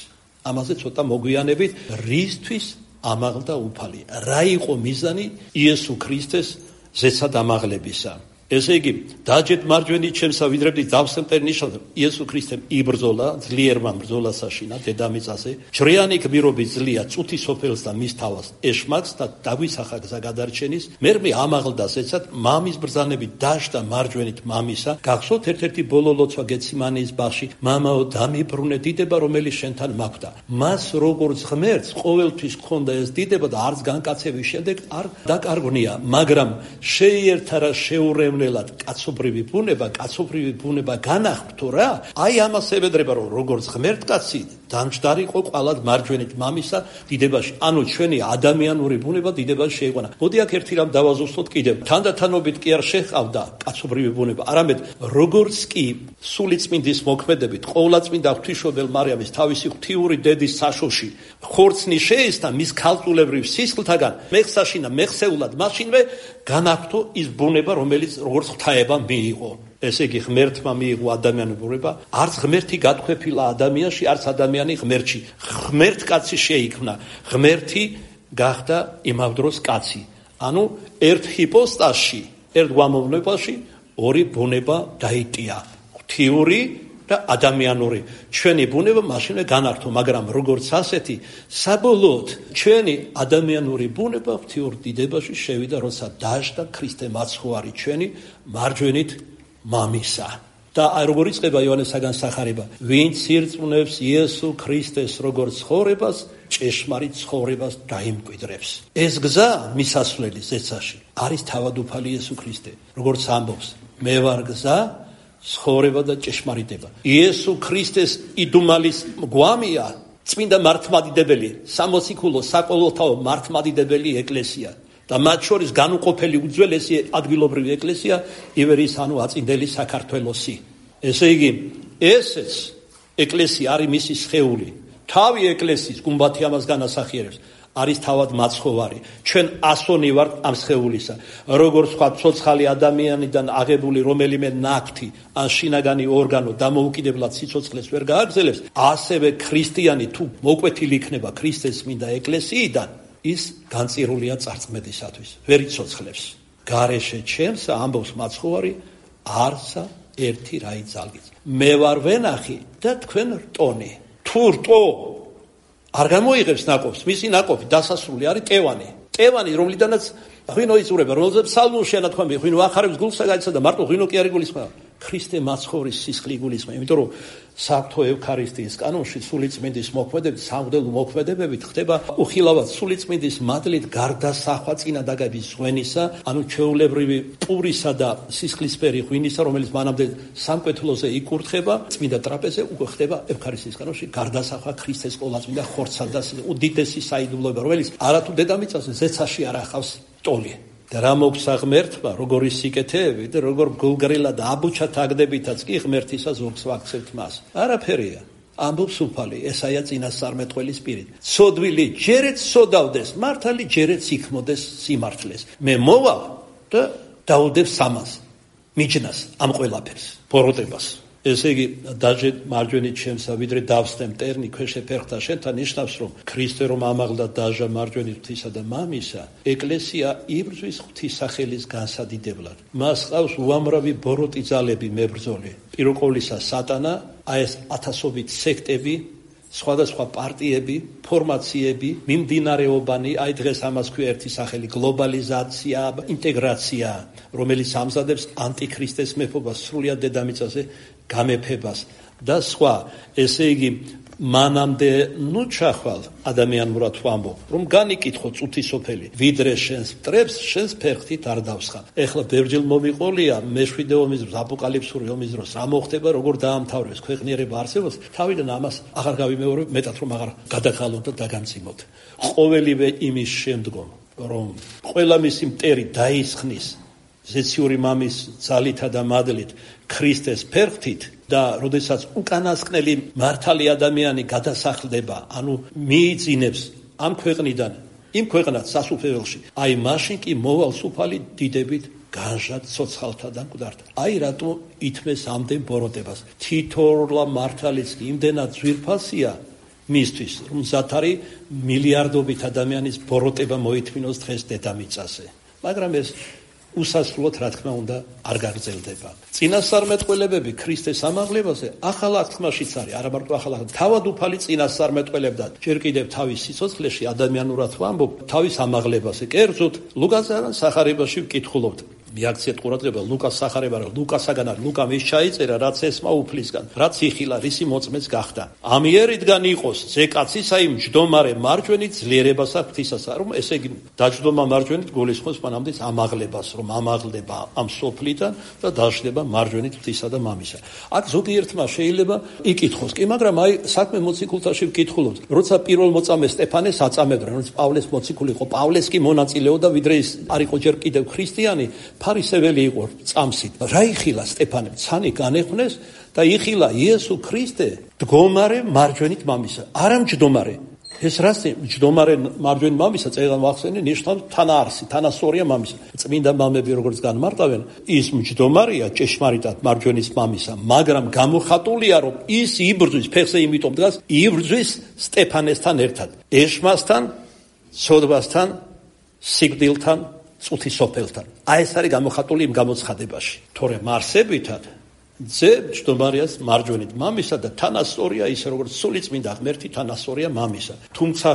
ამაზე ცოტა მოგვიანებით, რისთვის ამაღლდა უფალი. რა იყო მიზანი იესო ქრისტეს ზეცად ამაღლებისა? ესე იგი, დაჯეთ მარჯვენით ჩემსა, ვიდრემდის დავსნე მტერნი ნიშნავს, იესო ქრისტემ იბრძოლა ძლიერმა ბრძოლასაშინა დედამიწაზე. ჯვრიანი გმირობის ძლია წუთი სოფელს და მის თავს ეშმაკს და დაგვისახა გზა გადარჩენის. მერმე ამაღლდა ზეცად, მამის ბრძანებით დაждდა მარჯვენით მამისა. გახსოვთ ერთ-ერთი ბოლო ლოცვა გეციმანიის ბაღში, მამაო დამიბრუნე დიდება, რომელიც შენთან მაქვს. მას როგორც ღმერთს ყოველთვის ჰქონდა ეს დიდება და არც განკაცების შემდეგ არ დაკარგვნია, მაგრამ შეიერთა რა შეურევნელად კაცობრივი ბუნება, კაცობრივი ბუნება განახვრთო რა. აი ამას ებედრება, რომ როგორც ღმერთკაცი დამჯდარიყო ყვალად მარჯვენით მამისა დიდებაში. ანუ ჩვენი ადამიანური ბუნება დიდებაში შეიყვანა. მოდი აქ ერთი რამ დავაზუსტოთ კიდევ. თანდათანობით კი არ შეჰყავდა კაცობრივი ბუნება, არამედ როგორც კი სულიწმინდის მოქმედებით ყოვლადწმინდა ღვთისმშობელ მარიამის თავისი ღვთიური დედის საშოში ხორცნი შეესთა მის ქალწულებრივ სისხლთაგან მეხსაშინა მეხსეულად, მაშინვე განახვრთო ის ბუნება, რომელიც როგორც ღვთაება მიიღო. ესე იგი, ღმერთმა მიიღო ადამიანური ბუნება, არც ღმერთი გათქვეფილა ადამიანში, არც ადამიანი ღმერთში. ღმერთკაცი შეიქმნა, ღმერთი გახდა იმავდროს კაცი. ანუ ერთ ჰიპოსტასში, ერთ გვამოვნებაში ორი ბუნება დაიტია. ღვთიური და ადამიანური. ჩვენი ბუნება მაშინვე განართო, მაგრამ როგორც ასეთი, საბოლოოდ ჩვენი ადამიანური ბუნება ღვთიურ დიდებაში შევიდა, როცა დაждდა ქრისტე მაცხოვარი ჩვენი მარჯვენით მამისა. და როგორ იწყება იოანესაგან სახარება, ვინც ირწმუნებს იესო ქრისტეს როგორც ცხოვრებას, ჭეშმარიტ ცხოვრებას დაიმკვიდრებს. ეს გზა მისასვლელი ზეცაში არის თავადუფალი იესო ქრისტე, როგორც ამბობს, მე ვარ გზა, ცხოვრება და ჭეშმარიტება. იესო ქრისტეს იდუმალის გვამია წმინდა მართლმადიდებელი, სამოციქულო საყოველთაო მართლმადიდებელი ეკლესია. და მათ შორის განუყოფელი უძველესი ადგილობრივი ეკლესია ივერიის ანუ აწინდელი საქართველოსი. ესე იგი, ესეც ეკლესია არის მისი სხეული. თავი ეკლესიის გუმბათი ამას განასახიერებს. არის თავად მაცხოვარი. ჩვენ ასონი ვართ ამ სხეულისა. როგორც სხვა ცოცხალი ადამიანიდან აღებული რომელიმე ნაკვთი ან შინაგანი ორგანო დამოუკიდებლად სიცოცხლეს ვერ გააგრძელებს, ასევე ქრისტიანი თუ მოკვეთილი იქნება ქრისტეს წმინდა ეკლესიიდან, ის განწირულია წარწმედისათვის, ვერ იცოცხლებს. გარეშე ჩემსა ამბობს მაცხოვარი, არსა ერთი რაი ძალგიც. მე ვარ ვენახი და თქვენ რტონი. თუ რტო არ გამოიღებს ნაყოფს, მისი ნაყოფი დასასრული არის ტევანი. ტევანი, რომლიდანაც ღვინო იწურება, რომელზეც სალმონში ანათქვამი, ღვინო ახარებს გულსა გაიცა და მარტო ღვინო კი არ იგულისხმება. ქრისტე მაცხოვრის სისხლი იგულისხმება, იმიტომ რომ საღვთო ევქარისტიის კანონში სულიწმინდის მოქმედებით, სამღვდელო მოქმედებებით ხდება უხილავად სულიწმინდის მადლით გარდასახვა წინა დაგების ღვენისა, ანუ ჩვეულებრივი პურისა და სისხლისფერი ღვინისა, რომელიც მანამდე სამკვეთლოზე იკურთხება, წმინდა ტრაპეზზე უკვე ხდება ევქარისტიის კანონში გარდასახვა ქრისტეს ყოლაწმინდა ხორცსა და უდიდესი საიდუმლოება, რომელიც არათუ დედამიწაზე ზეცაში არ ახავს ტოლი. და რა მოგცა ღმერთმა, როგორი სიკეთეები და როგორ გულგრილად აბუჩათ აგდებითაც კი ღმერთისა ზოგს ვაქცევთ მას. არაფერია. ამბობს უფალი ესაია წინასწარმეტყველის პირით. ცოდვილი ჯერეთ სოდავდეს, მართალი ჯერეთ იქმოდეს სიმართლეს. მე მოვალ და დაუდებ სამას, მიჯნას ამ ყველაფერს, ბოროტებას. ესე იგი, დაჟე მარჯვენით ჩემსა, ვიდრე დავსდე მტერნი ქვეშე ფერხთა შენთან, ნიშნავს, რომ ქრისტე რომ ამაღლდა დაჟა მარჯვენით ღვთისა და მამისა, ეკლესია იბრძვის ღვთის სახელის განსადიდებლად. მას ყავს უამრავი ბოროტი ძალები მებრძოლი. პირველ ყოვლისა სატანა, აი ეს ათასობით სექტები, სხვადასხვა პარტიები, ფორმაციები, მიმდინარეობანი, აი დღეს ამას ქვია ერთი სახელი გლობალიზაცია, ინტეგრაცია, რომელიც ამზადებს ანტიქრისტეს მეფობას, სრულიად დედამიწაზე გამეფებას და სხვა. ესე იგი, მანამდე ნუ ჩახვალ ადამიანურად ვამბობ, რომ განიკითხო წუთი სოფელი, ვიდრე შენს მტრებს, შენს ფერხთით არ დავსხა. ეხლა ბევრჯერ მომიყოლია მეშვიდე ომის დროს, აპოკალიფსური ომის დროს, რა მოხდება, როგორ დაამთავრებს ქვეყნიერება არსებობს, თავიდან ამას აღარ გავიმეორებ, მეტად რომ აღარ გადაგხალოთ და დაგამძიმოთ. ყოველივე იმის შემდგომ, რომ ყველა მისი მტერი დაისხნის ზეციური მამის ძალითა და მადლით ქრისტეს ფერხთით და როდესაც უკანასკნელი მართალი ადამიანი გადასახლდება, ანუ მიიძინებს ამ ქვეყნიდან იმ ქვეყნად სასუფეველში, აი მაშინ კი მოვალ სუფალი დიდებით განჟად ცოცხალთა და მკვდართა. აი რატო ითმეს ამდენ ბოროტებას. თითოეულა მართალიც კი იმდენად ძვირფასია მისთვის, რომ მზად არის მილიარდობით ადამიანის ბოროტება მოითმინოს დღეს დედამიწაზე. მაგრამ ეს უსასრულოდ რა თქმა უნდა არ გაგრძელდება. წინასწარმეტყველებები ქრისტეს ამაღლებაზე ახალ აღთქმაშიც არის, არა მარტო ახალ აღთქმაში, თავადუფალი წინასწარმეტყველებდა ჯერ კიდევ თავის სიცოცხლეში ადამიანურად ვამბობ თავის ამაღლებაზე. კერძოდ ლუკასთან სახარებაში ვკითხულობთ. მიაქციეთ ყურადღება ლუკას სახარება, ლუკასაგან არის, ლუკამ ის ჩაიწერა, რაც ესმა უფლისგან, რაც იხილა, რისი მოწმეც გახდა. ამიერიდან იყოს ზეკაცისა იმ ჯდომარე მარჯვენით ძლიერებასა ღვთისასა, რომ ესე იგი დაჯდომა მარჯვენით გულისხმობს მანამდე ამაღლებას, რომ ამაღლდება ამ სოფლიდან და დაждდება მარჯვენით ღვთისა და მამისა. აქ ზოგიერთმა შეიძლება იკითხოს, კი, მაგრამ აი საქმე მოციქულთაში ვკითხულობთ. როცა პირველ მოწამე სტეფანეს აწამებდა, რომელიც პავლეს მოციქული იყო, პავლეს კი მონაწილეობდა, ვიდრე ის არ იყო ჯერ კიდევ ქრისტიანი, ფარისეველი იყო წამსით. რა იხილა სტეფანემ? ცანი განეხვნეს და იხილა იესო ქრისტე დგომარე მარჯვენით მამისა. არა მჯდომარე. ეს რას მჯდომარე მარჯვენით მამისა წერილთან ვახსენე, ნიშნავს თანაარსი, თანასწორია მამისა. წმინდა მამები როგორც განმარტავენ, ის მჯდომარეა ჭეშმარიტად მარჯვენის მამისა, მაგრამ გამოხატულია, რომ ის იბრძვის, ფეხზე იმიტომ დგას, იბრძვის სტეფანესთან ერთად. ეშმასთან ცოდვასთან, სიკვდილთან, წუთის სოფელთან. აი ეს არის გამოხატული იმ გამოცხადებაში. თორემ არსებითად ძე მჯდომარეას მარჯვენით მამისა და თანასწორია ისე როგორც სულიწმინდა ღმერთი თანასწორია მამისა. თუმცა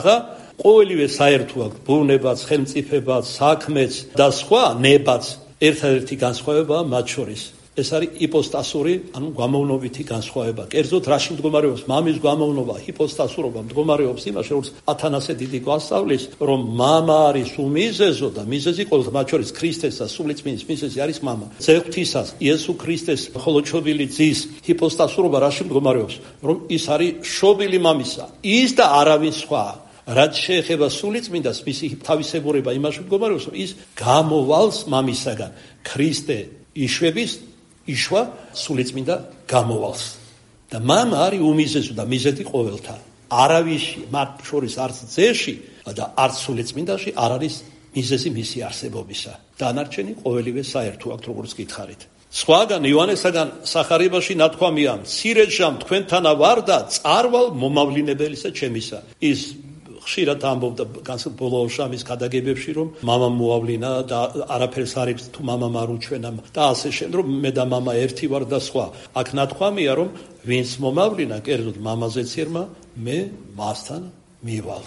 ყოველივე საერთო აქვს ბუნებაც, ხელმწიფებაც, საქმეც და სხვა ნებაც. ერთადერთი განსხვავებაა მათ შორის. ეს არის იპოსტასური, ანუ გამოვნობითი განსხვავება. კერძოდ რაში მდგომარეობს მამის გამოვნობა, იპოსტასურობა მდგომარეობს იმაში, როგორც ათანასე დიდი გვასწავლის, რომ მამა არის უმიზეზო და მიზეზი ყოველთ მათ შორის ქრისტეს და სულიწმინდის მიზეზი არის მამა. ძეღვთისას იესო ქრისტეს ხოლოჩობილი ძის იპოსტასურობა რაში მდგომარეობს, რომ ის არის შობილი მამისა, ის და არავინ სხვა. რაც შეეხება სულიწმინდას, მისი თავისებურება იმაში მდგომარეობს, რომ ის გამოვალს მამისაგან. ქრისტე იშვების იშვა სულიწმინდა გამოვალს. და მამა არის უმიზეზო და მიზეზი ყოველთა. არავისი მათ შორის არც ძეში და არც სულიწმინდაში არ არის მიზეზი მისი არსებობისა. დანარჩენი ყოველივე საერთო აქვს, როგორც გითხარით. სხვაგან იოანესაგან სახარებაში ნათქვამია: მცირეჯამ თქვენთანა ვარ და წარვალ მომავლინებელისა ჩემისა. ის ხშირად ამბობდა ბოლო შამის გადაგებებში, რომ მამა მოავლინა და არაფერს არ ებს თუ მამამ არ უჩვენა და ასე შემდეგ, მე და მამა ერთი ვარ და სხვა. აქ ნათქვამია, რომ ვინც მომავლინა, კერძოდ მამაზეც ერმა, მე მასთან მივალ.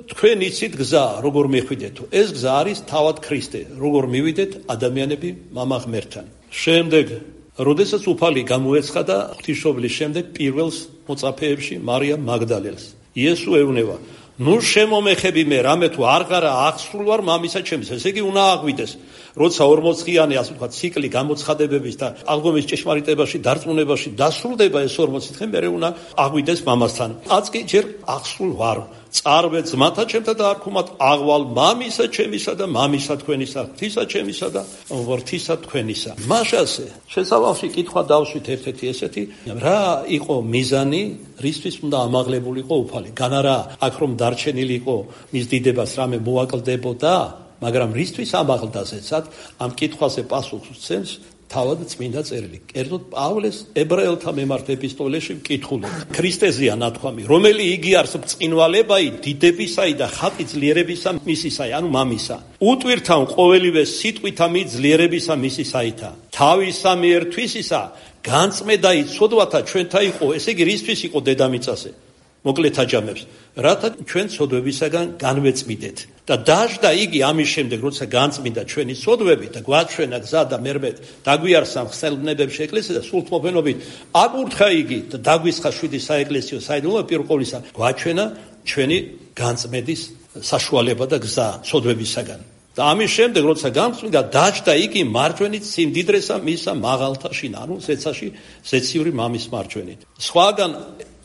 თქვენ იცით გზა, როგორ მიხვიდეთო. ეს გზა არის თავად ქრისტე, როგორ მივიდეთ ადამიანები მამა ღმერთთან. შემდეგ, როდესაც უფალი გამოეცხადა ღვთისმშობლის შემდეგ პირველს მოწაფეებში მარიამ მაგდალელს. იესო ეუბნება: ნუ შემომეხები მე, რამე თუ არ ღარა აღსრულ ვარ მამისა ჩემის. ესე იგი უნდა აღვიდეს, როცა ორმოცდღიანი ასე ვთქვათ ციკლი გამოცხადებების და აღდგომის ჭეშმარიტებაში, დარწმუნებაში დასრულდება ეს ორმოცი დღე, მე უნდა აღვიდეს მამასთან. აწკი ჯერ აღსრულ ვარ. წარვე ძმათა ჩემთა და არ ქუმათ აღვალ მამისა ჩემისა და მამისა თქვენისა, ღვთისა ჩემისა და ღვთისა თქვენისა. მაშასე შესავალში კითხვა დავშვით ერთ-ერთი ესეთი, რა იყო მიზანი, რისთვის უნდა ამაღლებულიყო უფალი? განარა აქ რომ დარჩენილი იყო მის დიდებას რამე მოაკლდებოდა, მაგრამ რისთვის ამაღლდა ზეცად? ამ კითხვაზე პასუხს უცემს თავად წმინდა წერილი. კერძოდ პავლეს ებრაელთა მიმართ ეპისტოლეში მკითხულობთ. ქრისტეზეა ნათქვამი, რომელი იგი არს ბრწყინვალებაი, დიდებისაი და ხატი ძლიერებისა მისისაი, ანუ მამისა. უტვირთან ყოველივე სიტყვითა მი ძლიერებისა მისისაითა. თავისა მიერ თვისისა განწმედაი ცოდვათა ჩვენთა იყო, ესე იგი რისთვის იყო დედამიწაზე? მოკლედ აჯამებს, რათა ჩვენ ცოდვებისაგან განვეწმიდეთ. და დაждდა იგი ამის შემდეგ, როცა განწმინდა ჩვენი ცოდვები და გვაჩვენა გზა და მერმედ დაგვიარსა ხსელნებებში ეკლესია და სულთმოფენობით აკურთხა იგი და დაგვისხა შვიდი საეკლესიო საიდუმლო პირველ ყოვლისა გვაჩვენა ჩვენი განწმედის საშუალება და გზა ცოდვებისაგან. და ამის შემდეგ, როცა განწმინდა, დაждდა იგი მარჯვენით სიმდიდრესა მისა მაღალთა შინა, ანუ ზეცაში ზეციური მამის მარჯვენით. სხვაგან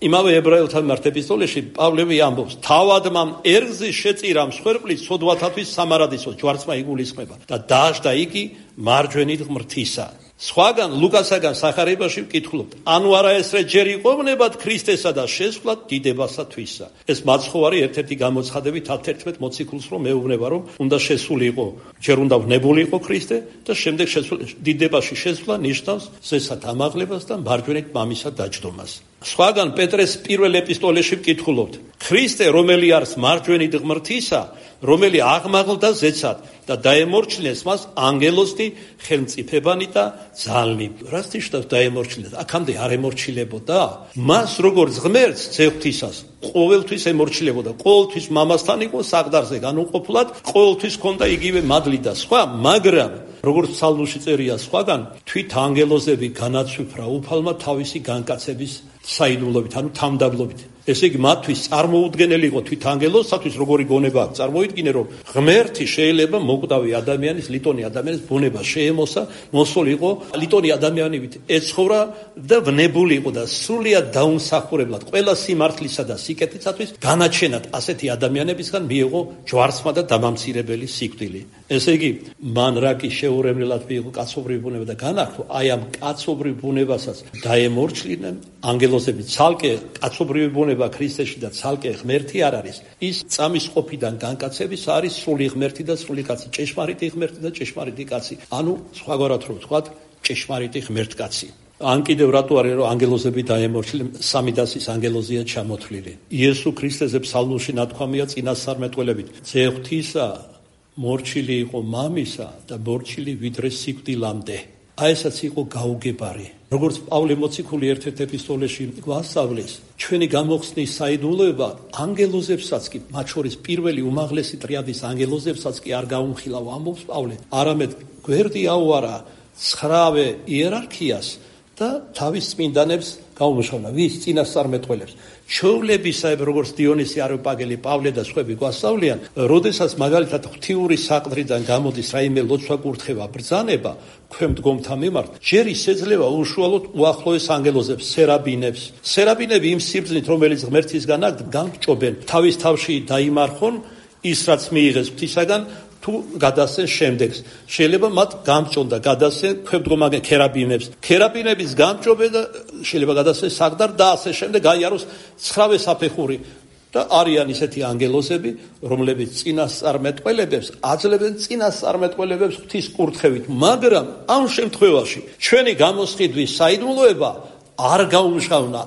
იმავე ებრაელთა მიმართ ეპისტოლეში პავლე ამბობს: თავად მამ ერგზის შეწირა მსხვერპლის ცოდვათათვის სამარადისო ჯვარცმა იგულისხმება და დაждდა იგი მარჯვენით ღმრთისა. სხვაგან ლუკასაგან სახარებაში ვკითხულობთ: ანუ არა ესრე ჯერ იყვებნებათ ქრისტესა და შესვლად დიდებასათვისა. ეს მაცხოვარი ერთ-ერთი გამოცხადებით ათერთმეტ მოციქულს რომ მეუბნება, რომ უნდა შესულიყო, ჯერ უნდა ვნებულიყო ქრისტე და შემდეგ დიდებაში შესვლა ნიშნავს ზესად ამაღლებას და მარჯვენით მამისა დაჯდომას. სხვაგან პეტრეს პირველ ეპისტოლეში ვკითხულობთ: ქრისტე, რომელი არის მარჯვენით ღმრთისა, რომელი აღმაღლდა ზეცად და დაემორჩილეს მას ანგელოზი ხელმწიფებანი და ძალნი. რას ნიშნავს დაემორჩილეს? აქამდე არ ემორჩილებოდა მას როგორც ღმერთს ზეღვთისას. ყოველთვის ემორჩილებოდა, ყოველთვის მამასთან იყო საყდარზე განუყოფლად, ყოველთვის ჰქონდა იგივე მადლი და სხვა, მაგრამ როგორც ფსალმში წერია სხვაგან, თვით ანგელოზები განაცვიფრა უფალმა თავისი განკაცების საიდუმლობით, ანუ თამდაბლობით. ესე იგი მათთვის წარმოუდგენელი იყო თვით ანგელოზსათვის როგორი გონება აქვს. წარმოიდგინე, რომ ღმერთი შეიძლება მოკვდავი ადამიანის, ლიტონი ადამიანის ბუნება შეემოსა, მოსულიყო ლიტონი ადამიანებით ეცხოვრა და ვნებული იყო და სრულიად დაუმსახურებლად ყველა სიმართლისა და სიკეთისათვის განაჩენად ასეთი ადამიანებისგან მიიღო ჯვარცმა და დამამცირებელი სიკვდილი. ესე იგი, მან რაკი შეურემლელად მიიღო კაცობრივი ბუნება და განახლო, აი ამ კაცობრივ ბუნებასაც დაემორჩილინა ანგელოზები. ცალკე კაცობრივი ბუნება ქრისტეში და ცალკე ღმერთი არ არის. ის წამის ყოფიდან განკაცების არის სული ღმერთი და სული კაცი, ჭეშმარიტი ღმერთი და ჭეშმარიტი კაცი. ანუ სხვაგვარად რომ ვთქვათ, ჭეშმარიტი ღმერთკაცი. ან კიდევ რატო არის რომ ანგელოზები დაემორჩილე სამი დასის ანგელოზია ჩამოთვლილი. იესო ქრისტეზე ფსალმურში ნათქვამია წინასწარმეტყველებით. ძე ღვთისა მორჩილი იყო მამისა და მორჩილი ვიდრე სიკვდილამდე. აი ესაც იყო გაუგებარი. როგორც პავლე მოციქული ერთ-ერთ ეპისტოლეში გვასწავლის, ჩვენი გამოხსნის საიდუმლოება ანგელოზებსაც კი, მათ შორის პირველი უმაღლესი ტრიადის ანგელოზებსაც კი არ გაუმხილავ, ამბობს პავლე. არამედ გვერდი აუარა ცხრავე იერარქიას და თავის წმინდანებს გაუმუშავნა. ვის? წინასწარმეტყველებს. ჩვეულებისაებ, როგორც დიონისი არიოპაგელი, პავლე და სხვები გვასწავლიან, როდესაც მაგალითად ღვთიური საყდრიდან გამოდის რაიმე ლოცვა კურთხევა, ბრძანება ქვემ დგომთა მიმართ, ჯერ ისეძლება უშუალოდ უახლოეს ანგელოზებს, სერაბინებს. სერაბინები იმ სიბრძნით, რომელიც ღმერთისგან აქვს, გამჭობენ. თავის თავში დაიმარხონ ის, რაც მიიღეს ღვთისაგან, თუ გადასცენ შემდეგს. შეიძლება მათ გამჭონ და გადასცენ ქვემდგომაგე ქერაბინებს. ქერაბინების გამჭობე და შეიძლება გადასცენ საყდარ და ასე შემდეგ გაიაროს ცხრავე საფეხური. და არიან ისეთი ანგელოზები, რომლებიც წინასწარმეტყველებებს აძლევენ წინასწარმეტყველებებს ღვთის კურთხევით, მაგრამ ამ შემთხვევაში ჩვენი გამოსყიდვის საიდუმლოება არ გაუმშავნა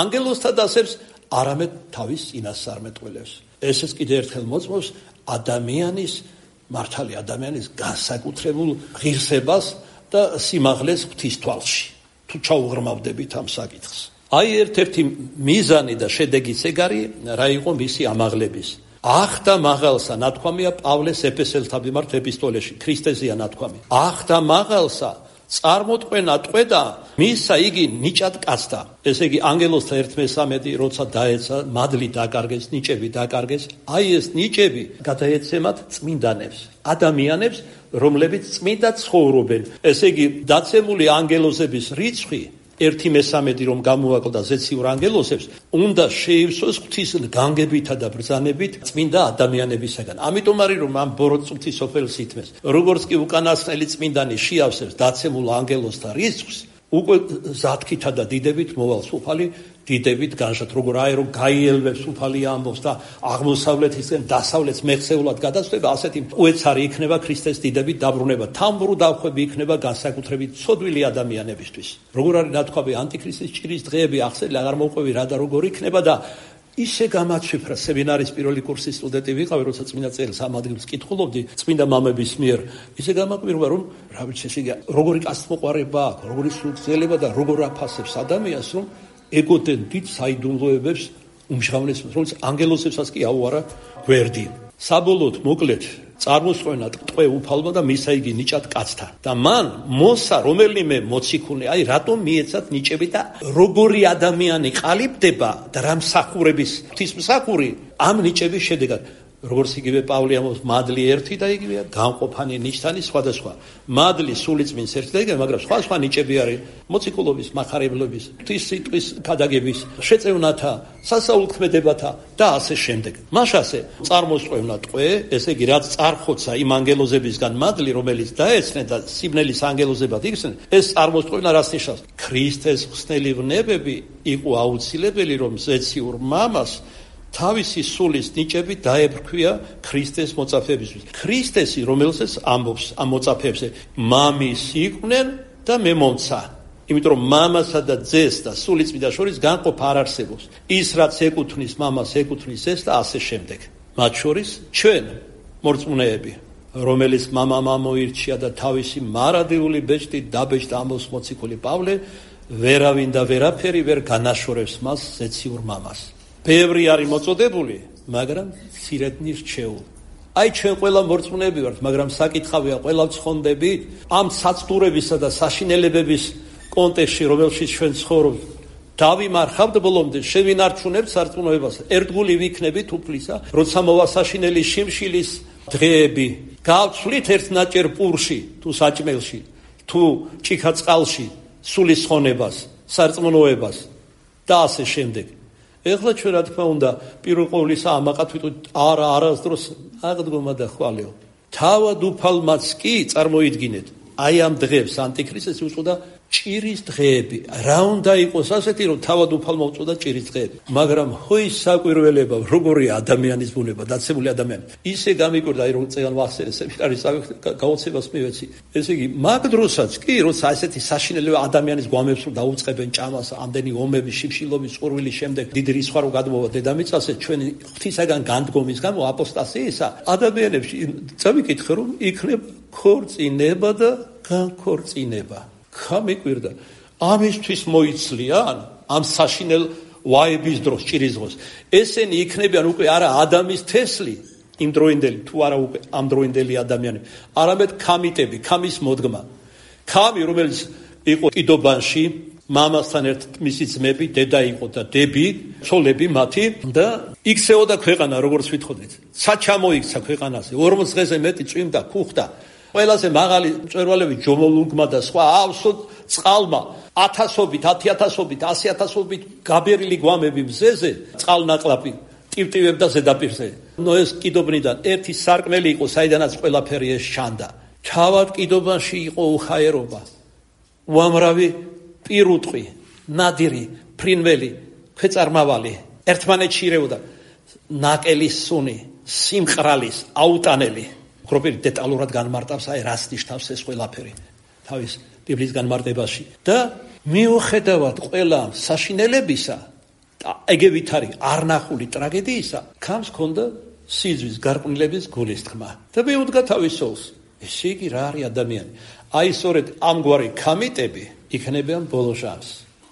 ანგელოზთა დასებს, არამედ თავის წინასწარმეტყველებს. ესეც კიდევ ერთხელ მოწმობს ადამიანის მართალი ადამიანის განსაკუთრებულ ღირსებას და სიმაღლეს ღვთის თვალში. თუ ჩაუღრმავდებით ამ საკითხს. აი ერთ-ერთი მიზანი და შედეგიც ეგარი რა იყო მისი ამაღლების. ახდა მაღალსა ნათქვამია პავლეს ეფესელთა მიმართ ეპისტოლეში, ქრისტეზეა ნათქვამი. ახდა მაღალსა წარმოტყვენა ტყვედა მისა იგი ნიჭად კაცდა. ესე იგი ანგელოზთა ერთმესამედი როცა დაეცა, მადლი დაკარგეს, ნიჭები დაკარგეს. აი ეს ნიჭები გადაეცემათ წმინდანებს, ადამიანებს, რომლებიც წმინდა ცხოვრობენ. ესე იგი დაცემული ანგელოზების რიცხვი ერთი მესამედი რომ გამოაკლდა ზეციურ ანგელოზებს, უნდა შეივსოს ღვთის განგებითა და ბრძანებით წმინდა ადამიანებისაგან. ამიტომ არის რომ ამ ბოროტწუთი სოფელს ითმეს. როგორც კი უკანასკნელი წმინდანი შეავსებს დაცემულ ანგელოზთა რიცხვს, უკვე ზათქითა და დიდებით მოვალ სუფალი დიდებით განშათ, როგორ აი რომ გაიელვებს სუფალი ამბობს და აღმოსავლეთისკენ დასავლეთს მეხსეულად გადასწრება, ასეთი უეცარი იქნება ქრისტეს დიდებით დაბრუნება. თამბრუ დახვები იქნება განსაკუთრებით ცოდვილი ადამიანებისთვის. როგორ არის ნათქვამი ანტიქრისტის ჭირის დღეები ახსენე აღარ მოყვევი რა და როგორ იქნება და ისე გამაცვიფრა. სემინარის პირველი კურსის სტუდენტი ვიყავი, როცა წმინდა წერილს ამ ადგილს კითხულობდი წმინდა მამების მიერ. ისე გამაკვირვა რომ რა ვიცი, ესე იგი როგორი კაცთმოყვარება აქვს, როგორი სულწელება და როგორ აფასებს ადამიანს, რომ ეგოდნენ დიდ საიდუმლოებებს უმჟღავნეს, რომელიც ანგელოზებსაც კი აუარა გვერდი. საბოლოოდ მოკლედ წარმოსყვენა ტყვე უფალმა და მისა იგი ნიჭად კაცთა. და მან მოსა რომელიმე მოციქული, აი რატომ მიეცათ ნიჭები და როგორი ადამიანი ყალიბდება და რა მსახურების ღვთისმსახური ამ ნიჭების შედეგად. როგორც იგივე პავლე ამბობს, მადლი ერთი და იგივეა, განყოფანი ნიშნანი სხვადასხვა. მადლი სული წმინს ერთი და იგივე, მაგრამ სხვა სხვა ნიჭები არის მოციქულობის, მახარებლობის, ღვთის სიტყვის ქადაგების, შეწევნათა, სასაულქმედებათა და ასე შემდეგ. მაშასე წარმოსყვევნა ტყვე, ესე იგი რაც წარხოცა იმ ანგელოზებისგან მადლი, რომელიც დაეცნენ და სიბნელის ანგელოზებად იქცნენ, ეს წარმოსყვევნა რას ნიშნავს? ქრისტეს ხსნელი ვნებები იყო აუცილებელი, რომ ზეციურ მამას თავისი სულის ნიჭები დაებრქვია ქრისტეს მოწაფეებისთვის. ქრისტესი, რომელსაც ამბობს ამ მოწაფეებზე, მამის იყვნენ და მე მომცა. იმიტომ რომ მამასა და ძეს და სულიწმიდა შორის განყოფა არ არსებობს. ის რაც ეკუთვნის მამას, ეკუთვნის ეს და ასე შემდეგ. მათ შორის ჩვენ მორწმუნეები, რომელიც მამამ ამოირჩია და თავისი მარადიული ბეჭდით დაბეჭდა, ამბობს მოციქული პავლე, ვერავინ და ვერაფერი ვერ განაშორებს მას ზეციურ მამას. ბევრი არის მოწოდებული, მაგრამ მცირედნი რჩეულ. აი ჩვენ ყველა მორწმუნეები ვართ, მაგრამ საკითხავია ყველა ვცხონდებით ამ საცდურებისა და საშინელებების კონტექსტში, რომელშიც ჩვენ ცხოვრობთ. დავიმარხავთ ბოლომდე, შევინარჩუნებთ სარწმუნოებას. ერთგული ვიქნებით უფლისა, როცა მოვა საშინელი შიმშილის დღეები. გავცვლით ერთ ნაჭერ პურში, თუ საჭმელში, თუ ჭიქა წყალში, სულის ხონებას, სარწმუნოებას და ასე შემდეგ. ეხლა ჩვენ რა თქმა უნდა პირველ ყოვლისა ამაყად ვიტყვით არა არასდროს აღდგომა და ხვალეო. თავად უფალმაც კი წარმოიდგინეთ, აი ამ დღეს ანტიქრისტეს უწოდა ჭირის დღეები. რა უნდა იყოს ასეთი, რომ თავად უფალმა უწოდა ჭირის დღეები. მაგრამ ჰოის საკვირველება, როგორი ადამიანის ბუნება, დაცემული ადამიანი. ისე გამიკვირდა, აი რომ წეგან ვახსენე სემინარის გაოცებას მივეცი. ესე იგი, მაგ დროსაც კი, როცა ასეთი საშინელება ადამიანის გვამებს რომ დაუწყებენ ჭამას, ამდენი ომები, შიფშილობის, სურვილის შემდეგ დიდი რისხვა რო გადმოვა დედამიწაზე, ჩვენი ღვთისაგან განდგომის გამო აპოსტასიისა, ადამიანებში წავიკითხე რომ იქნება ქორწინება და განქორწინება. გამიკვირდა. ამისთვის მოიცლიან ამ საშინელ ვაების დროს, ჭირის დროს. ესენი იქნებიან უკვე არა ადამიანის თესლი, იმ დროინდელი თუ არა უკვე ამ დროინდელი ადამიანები, არამედ ქამიტები, ქამის მოდგმა. ქამი, რომელიც იყო კიდობანში, მამასთან ერთად მისი ძმები, დედა იყო და დები, ცოლები მათი და იქცეოდა ქვეყანა, როგორც ვითხოვდით. საჩამო იქცა ქვეყანაზე, ორმოც დღეზე მეტი წვიმდა, ქუხდა. ყველაზე მაღალი მწვერვალები ჯომოლუნგმა და სხვა ავსოდ წყალმა ათასობით, ათიათასობით, ასიათასობით გაბერილი გვამები მზეზე წყალნაკლაპი ტივტივებდა ზედაპირზე. ნოეს კიდობნიდან ერთი სარკმელი იყო, საიდანაც ყველაფერი ეს შანდა. თავად კიდობანში იყო უხაერობა. უამრავი პირუტყვი, ნადირი, ფრინველი, ქვეწარმავალი ერთმანეთში ირეოდა. ნაკელის სუნი, სიმყრალის, აუტანელი. უქროპილი დეტალურად განმარტავს აი რას ნიშნავს ეს ყველაფერი თავის ბიბლიის განმარტებაში და მიუხედავად ყველა საშინელებისა და ეგევით არის არნახული ტრაგედიისა, ქამს ჰქონდა სიძვის გარყვნილების გულისთქმა და მიუდგა თავის სულს. ესე იგი რა არის ადამიანი? აი სწორედ ამგვარი ქამიტები იქნებიან ბოლო ჟამს,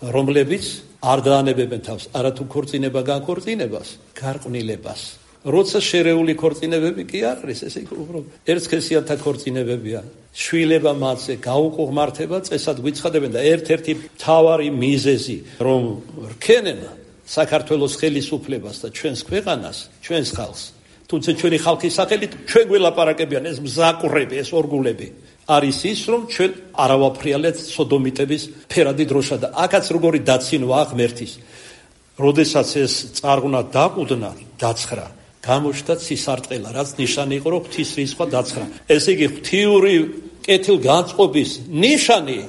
რომლებიც არ დაანებებენ თავს არათუ ქორწინება განქორწინებას, გარყვნილებას. როცა შერეული ქორწინებები კი არ არის, ესე იგი უბრალოდ ერთსქესიანთა ქორწინებებია. შვილება მათზე გაუყურმართება წესად გვიცხადებენ და ერთ-ერთი მთავარი მიზეზი, რომ რქენენ საქართველოს ხელისუფლებას და ჩვენს ქვეყანას, ჩვენს ხალხს, თუმცა ჩვენი ხალხის სახელით ჩვენ გველაპარაკებიან ეს მზაკვრები, ეს ორგულები, არის ის, რომ ჩვენ არავაფრიალეთ სოდომიტების ფერადი დროშა და აქაც როგორი დაცინვა ღმერთის. როდესაც ეს წარღვნა დაყუდნა, დაცხრა გამოჩნდა ცისარტყელა, რაც ნიშანი იყო, რომ ღვთის რისხვა დაცხრა. ესე იგი, ღვთიური კეთილგანწყობის ნიშანი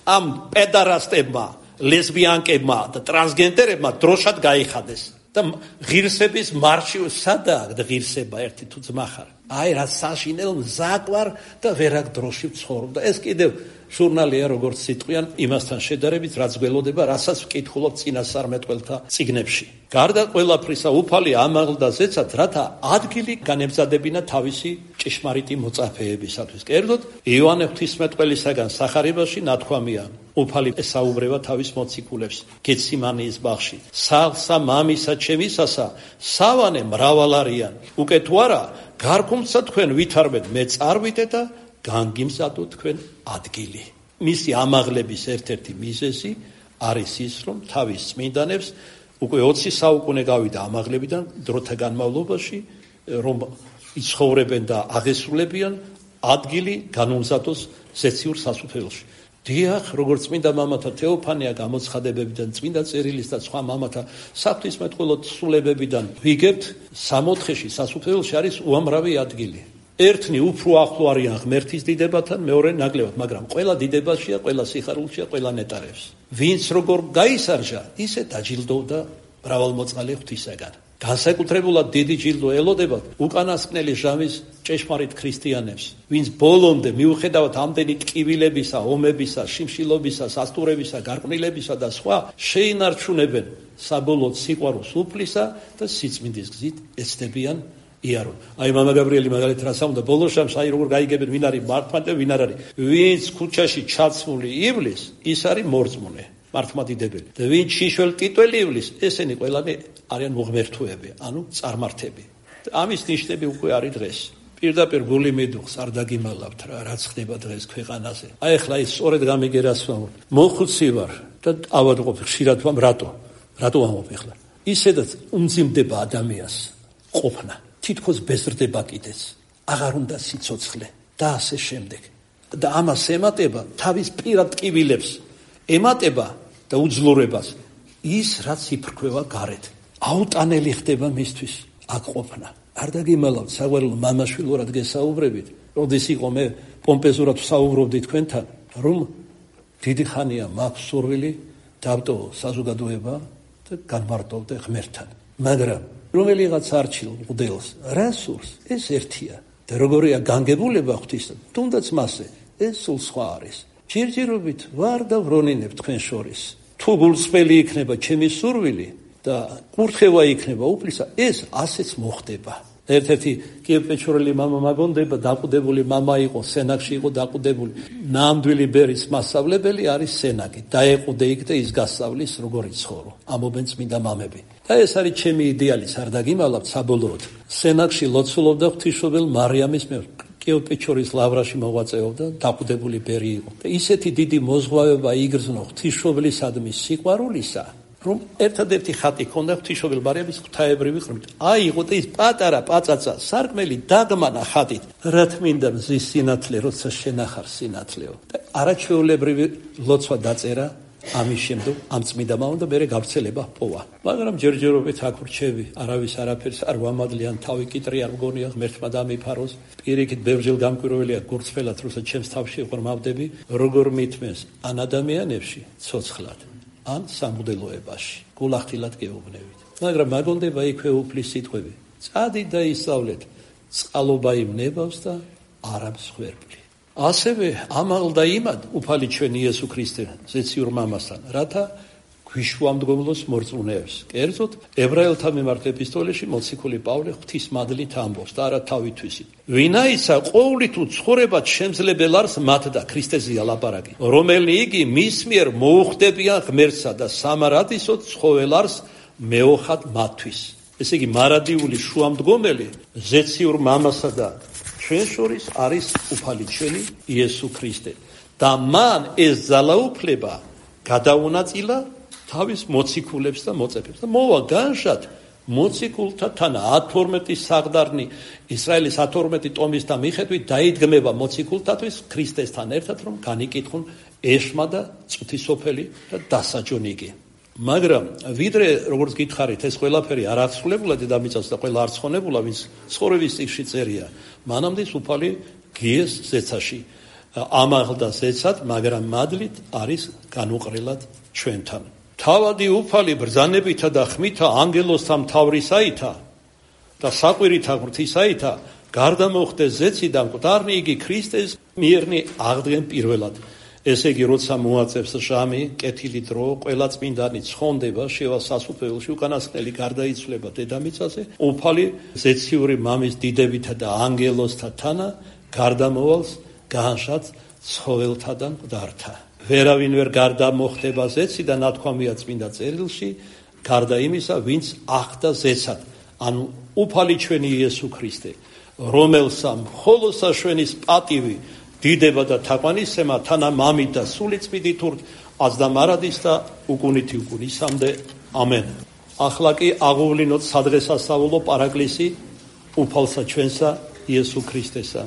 ამ პედარასტებმა, ლესბიანკებმა და ტრანსგენდერებმა დროშად გაიხადეს. და ღირსების მარში სადაა ღირსება ერთი თუ ძმა ხარ. აი რა საშინელ მზაკვარ და ვერაგ დროში ვცხოვრობ და ეს კიდევ ჟურნალია როგორც სიტყვიან იმასთან შედარებით რაც გველოდება, რასაც ვკითხულობ წინასწარმეტყველთა წიგნებში. გარდა ყველაფრისა უფალი ამაღლდა ზეცად, რათა ადგილი განემზადებინა თავისი ჭეშმარიტი მოწაფეებისათვის. კერძოდ იოანე ღვთისმეტყველისაგან სახარებაში ნათქვამია, უფალი ესაუბრება თავის მოციქულებს გეციმანიის ბაღში. სახლსა მამისა ჩემისასა სავანე მრავალ არიან. უკვე თუ არა გარკუმცა თქვენ ვითარბეთ მე წარვიდე და განგიმზადო თქვენ ადგილი. მისი ამაღლების ერთ-ერთი მიზეზი არის ის, რომ თავის წმინდანებს უკვე ოცი საუკუნე გავიდა ამაღლებიდან დროთა განმავლობაში, რომ იცხოვრებენ და აღესრულებიან ადგილი განუმზადოს ზეციურ სასუფეველში. დიახ, როგორც წმინდა მამათა თეოფანია გამოცხადებებიდან, წმინდა წერილის და სხვა მამათა საღვთისმეტყველო თხზულებებიდან ვიგებთ, სამოთხეში სასუფეველში არის უამრავი ადგილი. ერთნი უფრო ახლო არიან ღმერთის დიდებათან, მეორე ნაკლებად, მაგრამ ყველა დიდებაშია, ყველა სიხარულშია, ყველა ნეტარებს. ვინც როგორ გაისარჟა, ისე დაჯილდოვდა მრავალმოწყალე ღვთისაგან. განსაკუთრებულად დიდი ჯილდო ელოდებათ უკანასკნელი ჟამის ჭეშმარიტ ქრისტიანებს, ვინც ბოლომდე მიუხედავად ამდენი ტკივილებისა, ომებისა, შიმშილობისა, სასტურებისა, გარყვნილებისა და სხვა შეინარჩუნებენ საბოლოოდ სიყვარულს უფლისა და სიწმინდის გზით ეცდებიან იარონ. აი მამა გაბრიელი მაგალითად რას ამბობდა ბოლო ჟამს, აი როგორ გაიგებენ ვინ არის მართლმადიდე, ვინ არ არის. ვინც ქუჩაში ჩაცმული ივლის, ის არის მორწმუნე. მართლმადიდებელი. და ვინც შიშველ ტიტველი ივლის, ესენი ყველანი არიან მოღმერთოები, ანუ წარმართები. ამის ნიშნები უკვე არის დღეს. პირდაპირ გული მიდუხს არ დაგიმალავთ რა, რაც ხდება დღეს ქვეყანაზე. აი ახლა ის სწორედ გამიგერას ვამბობ. მოხუცი ვარ და ავადმყოფ ხშირად ვამ რატო? რატო ვამბობ ახლა? ისედაც უმძიმდება ადამიანს ყოფნა. თითქოს ბეზრდება კიდეც. აღარ უნდა სიცოცხლე და ასე შემდეგ. და ამას ემატება თავის პირად ტკივილებს. ემატება და უძლურებას ის რაც იფრქვევა გარეთ. აუტანელი ხდება მისთვის აქ ყოფნა. არ დაგიმალავთ საყვარელო მამაშვილურად გესაუბრებით, როდის იყო მე პომპეზურად ვსაუბრობდი თქვენთან, რომ დიდი ხანია მაქვს სურვილი დავტოვო საზოგადოება და განმარტოვდე ღმერთთან. მაგრამ რომელიღაც არჩილ მღვდელს რა სურს, ეს ერთია. და როგორია განგებულება ღვთისთან, თუნდაც მასე, ეს სულ სხვა არის. ჯერჯერობით ვარ და ვრონინებ თქვენ შორის. თუ გულწრფელი იქნება ჩემი სურვილი და კურთხევა იქნება უფლისა, ეს ასეც მოხდება. ერთ-ერთი კიევ-პეჩორელი მამა მაგონდება, დაყუდებული მამა იყო, სენაკში იყო დაყუდებული. ნამდვილი ბერის მასწავლებელი არის სენაკი. დაეყუდე იქ და ის გასწავლის როგორ იცხოვრო. ამობენ წმინდა მამები. და ეს არის ჩემი იდეალის, არ დაგიმალავთ საბოლოოდ. სენაკში ლოცულობდა ღვთისმშობელ მარიამის მიერ. კიევ-პეჩორის ლავრაში მოღვაწეობდა, დაყუდებული ბერი იყო. და ისეთი დიდი მოზღვავება იგრძნო ღვთისმშობლისადმი სიყვარულისა, რომ ერთადერთი ხატი ქონდა ღვთისმშობელ მარიამის ღვთაებრივი ღრმით. აიღო და ის პატარა პაწაცა სარკმელი დაგმანა ხატით. რა თმინდა მზის სინათლე, როცა შენახარ სინათლეო. და არაჩვეულებრივი ლოცვა დაწერა ამის შემდგომ ამ წმინდა მამამ და მერე გავრცელება პოვა. მაგრამ ჯერჯერობით აქ ვრჩევი, არავის არაფერს არ ვამადლიან, თავი კიტრი არ მგონია ღმერთმა დამიფაროს. პირიქით ბევრჯერ გამკვირვებელია გურწფელად, როცა ჩემს თავში ვღრმავდები, როგორ მithმეს ან ადამიანებში ცოცხლად, ან სამღვდელოებაში, გულახდილად გეუბნებით. მაგრამ მაგონდება იქვე უფლის სიტყვები. წადით და ისწავლეთ, წყალობა იმ ნებავს და არა მსხვერპლი. ასევე ამალდა იმად უფალი ჩვენი იესო ქრისტე ზეციურ მამასთან, რათა გვიშვამდგომლოს მორწმუნეებს. კერძოდ ებრაელთა მიმართ ეპისტოლეში მოციქული პავლე ღვთისმადლით ამბობს და არა თავითვისით. ვინაისა ყოვლით უცხოვრებად შემძლებელ არს მათ და ქრისტეზეა ლაპარაკი, რომელი იგი მის მიერ მოუხდებიან ღმერთსა და სამარადისოდ ცხოველ არს მეოხად მათთვის. ესე იგი მარადიული შუამდგომელი ზეციურ მამასა და ჩვენ შორის არის უფალი ჩვენი იესო ქრისტე. და მან ეს ძალაუფლება გადაუნაწილა თავის მოციქულებს და მოწეფებს. და მოვა განშად მოციქულთა თანა ათორმეტი საღდარნი ისრაელის ათორმეტი ტომის და მიხედვით დაიდგმება მოციქულთათვის ქრისტესთან ერთად, რომ განიკითხონ ეშმა და წვთისოფელი და დასაჯონიკი. მაგრამ ვიდრე როგორც გითხარით ეს ყველაფერი არ აღსრულებულა დედამიწას და ყველა არ ცხონებულა, ვინც ცხოვრების წიგნში წერია, მანამდე უფალი გიეს ზეცაში ამაღლდა ზეცად, მაგრამ მადლით არის განუყრელად ჩვენთან. თავადი უფალი ბრძანებითა და ხმითა ანგელოსთა მთავრისაითა და საყვირითა ღვთისაითა გარდა მოხდეს ზეციდან მკვდარნი იგი ქრისტეს მიერნი აღდგენ პირველად. ესე იგი, როცა მოაწევს ჟამი, კეთილი დრო, ყველა წმინდანი ცხონდება, შევა სასუფეველში, უკანასკნელი გარდაიცვლება დედამიწაზე, უფალი ზეციური მამის დიდებითა და ანგელოსთა თანა გარდამოვალს განშად ცხოველთა და მკვდართა. ვერავინ ვერ გარდამოხდება ზეციდან, ნათქვამია წმინდა წერილში, გარდა იმისა, ვინც ახდა ზეცად, ანუ უფალი ჩვენი იესო ქრისტე, რომელსა მხოლოდ საშვენის პატივი დიდება და თაყვანისცემა თანა მამით და სული წმინდით ურთ აზდამარადის და უკუნითი უკუნისამდე ამენ. ახლა კი აღუვლინოთ სადღესასწაულო პარაკლისი უფალსა ჩვენსა იესო ქრისტესა.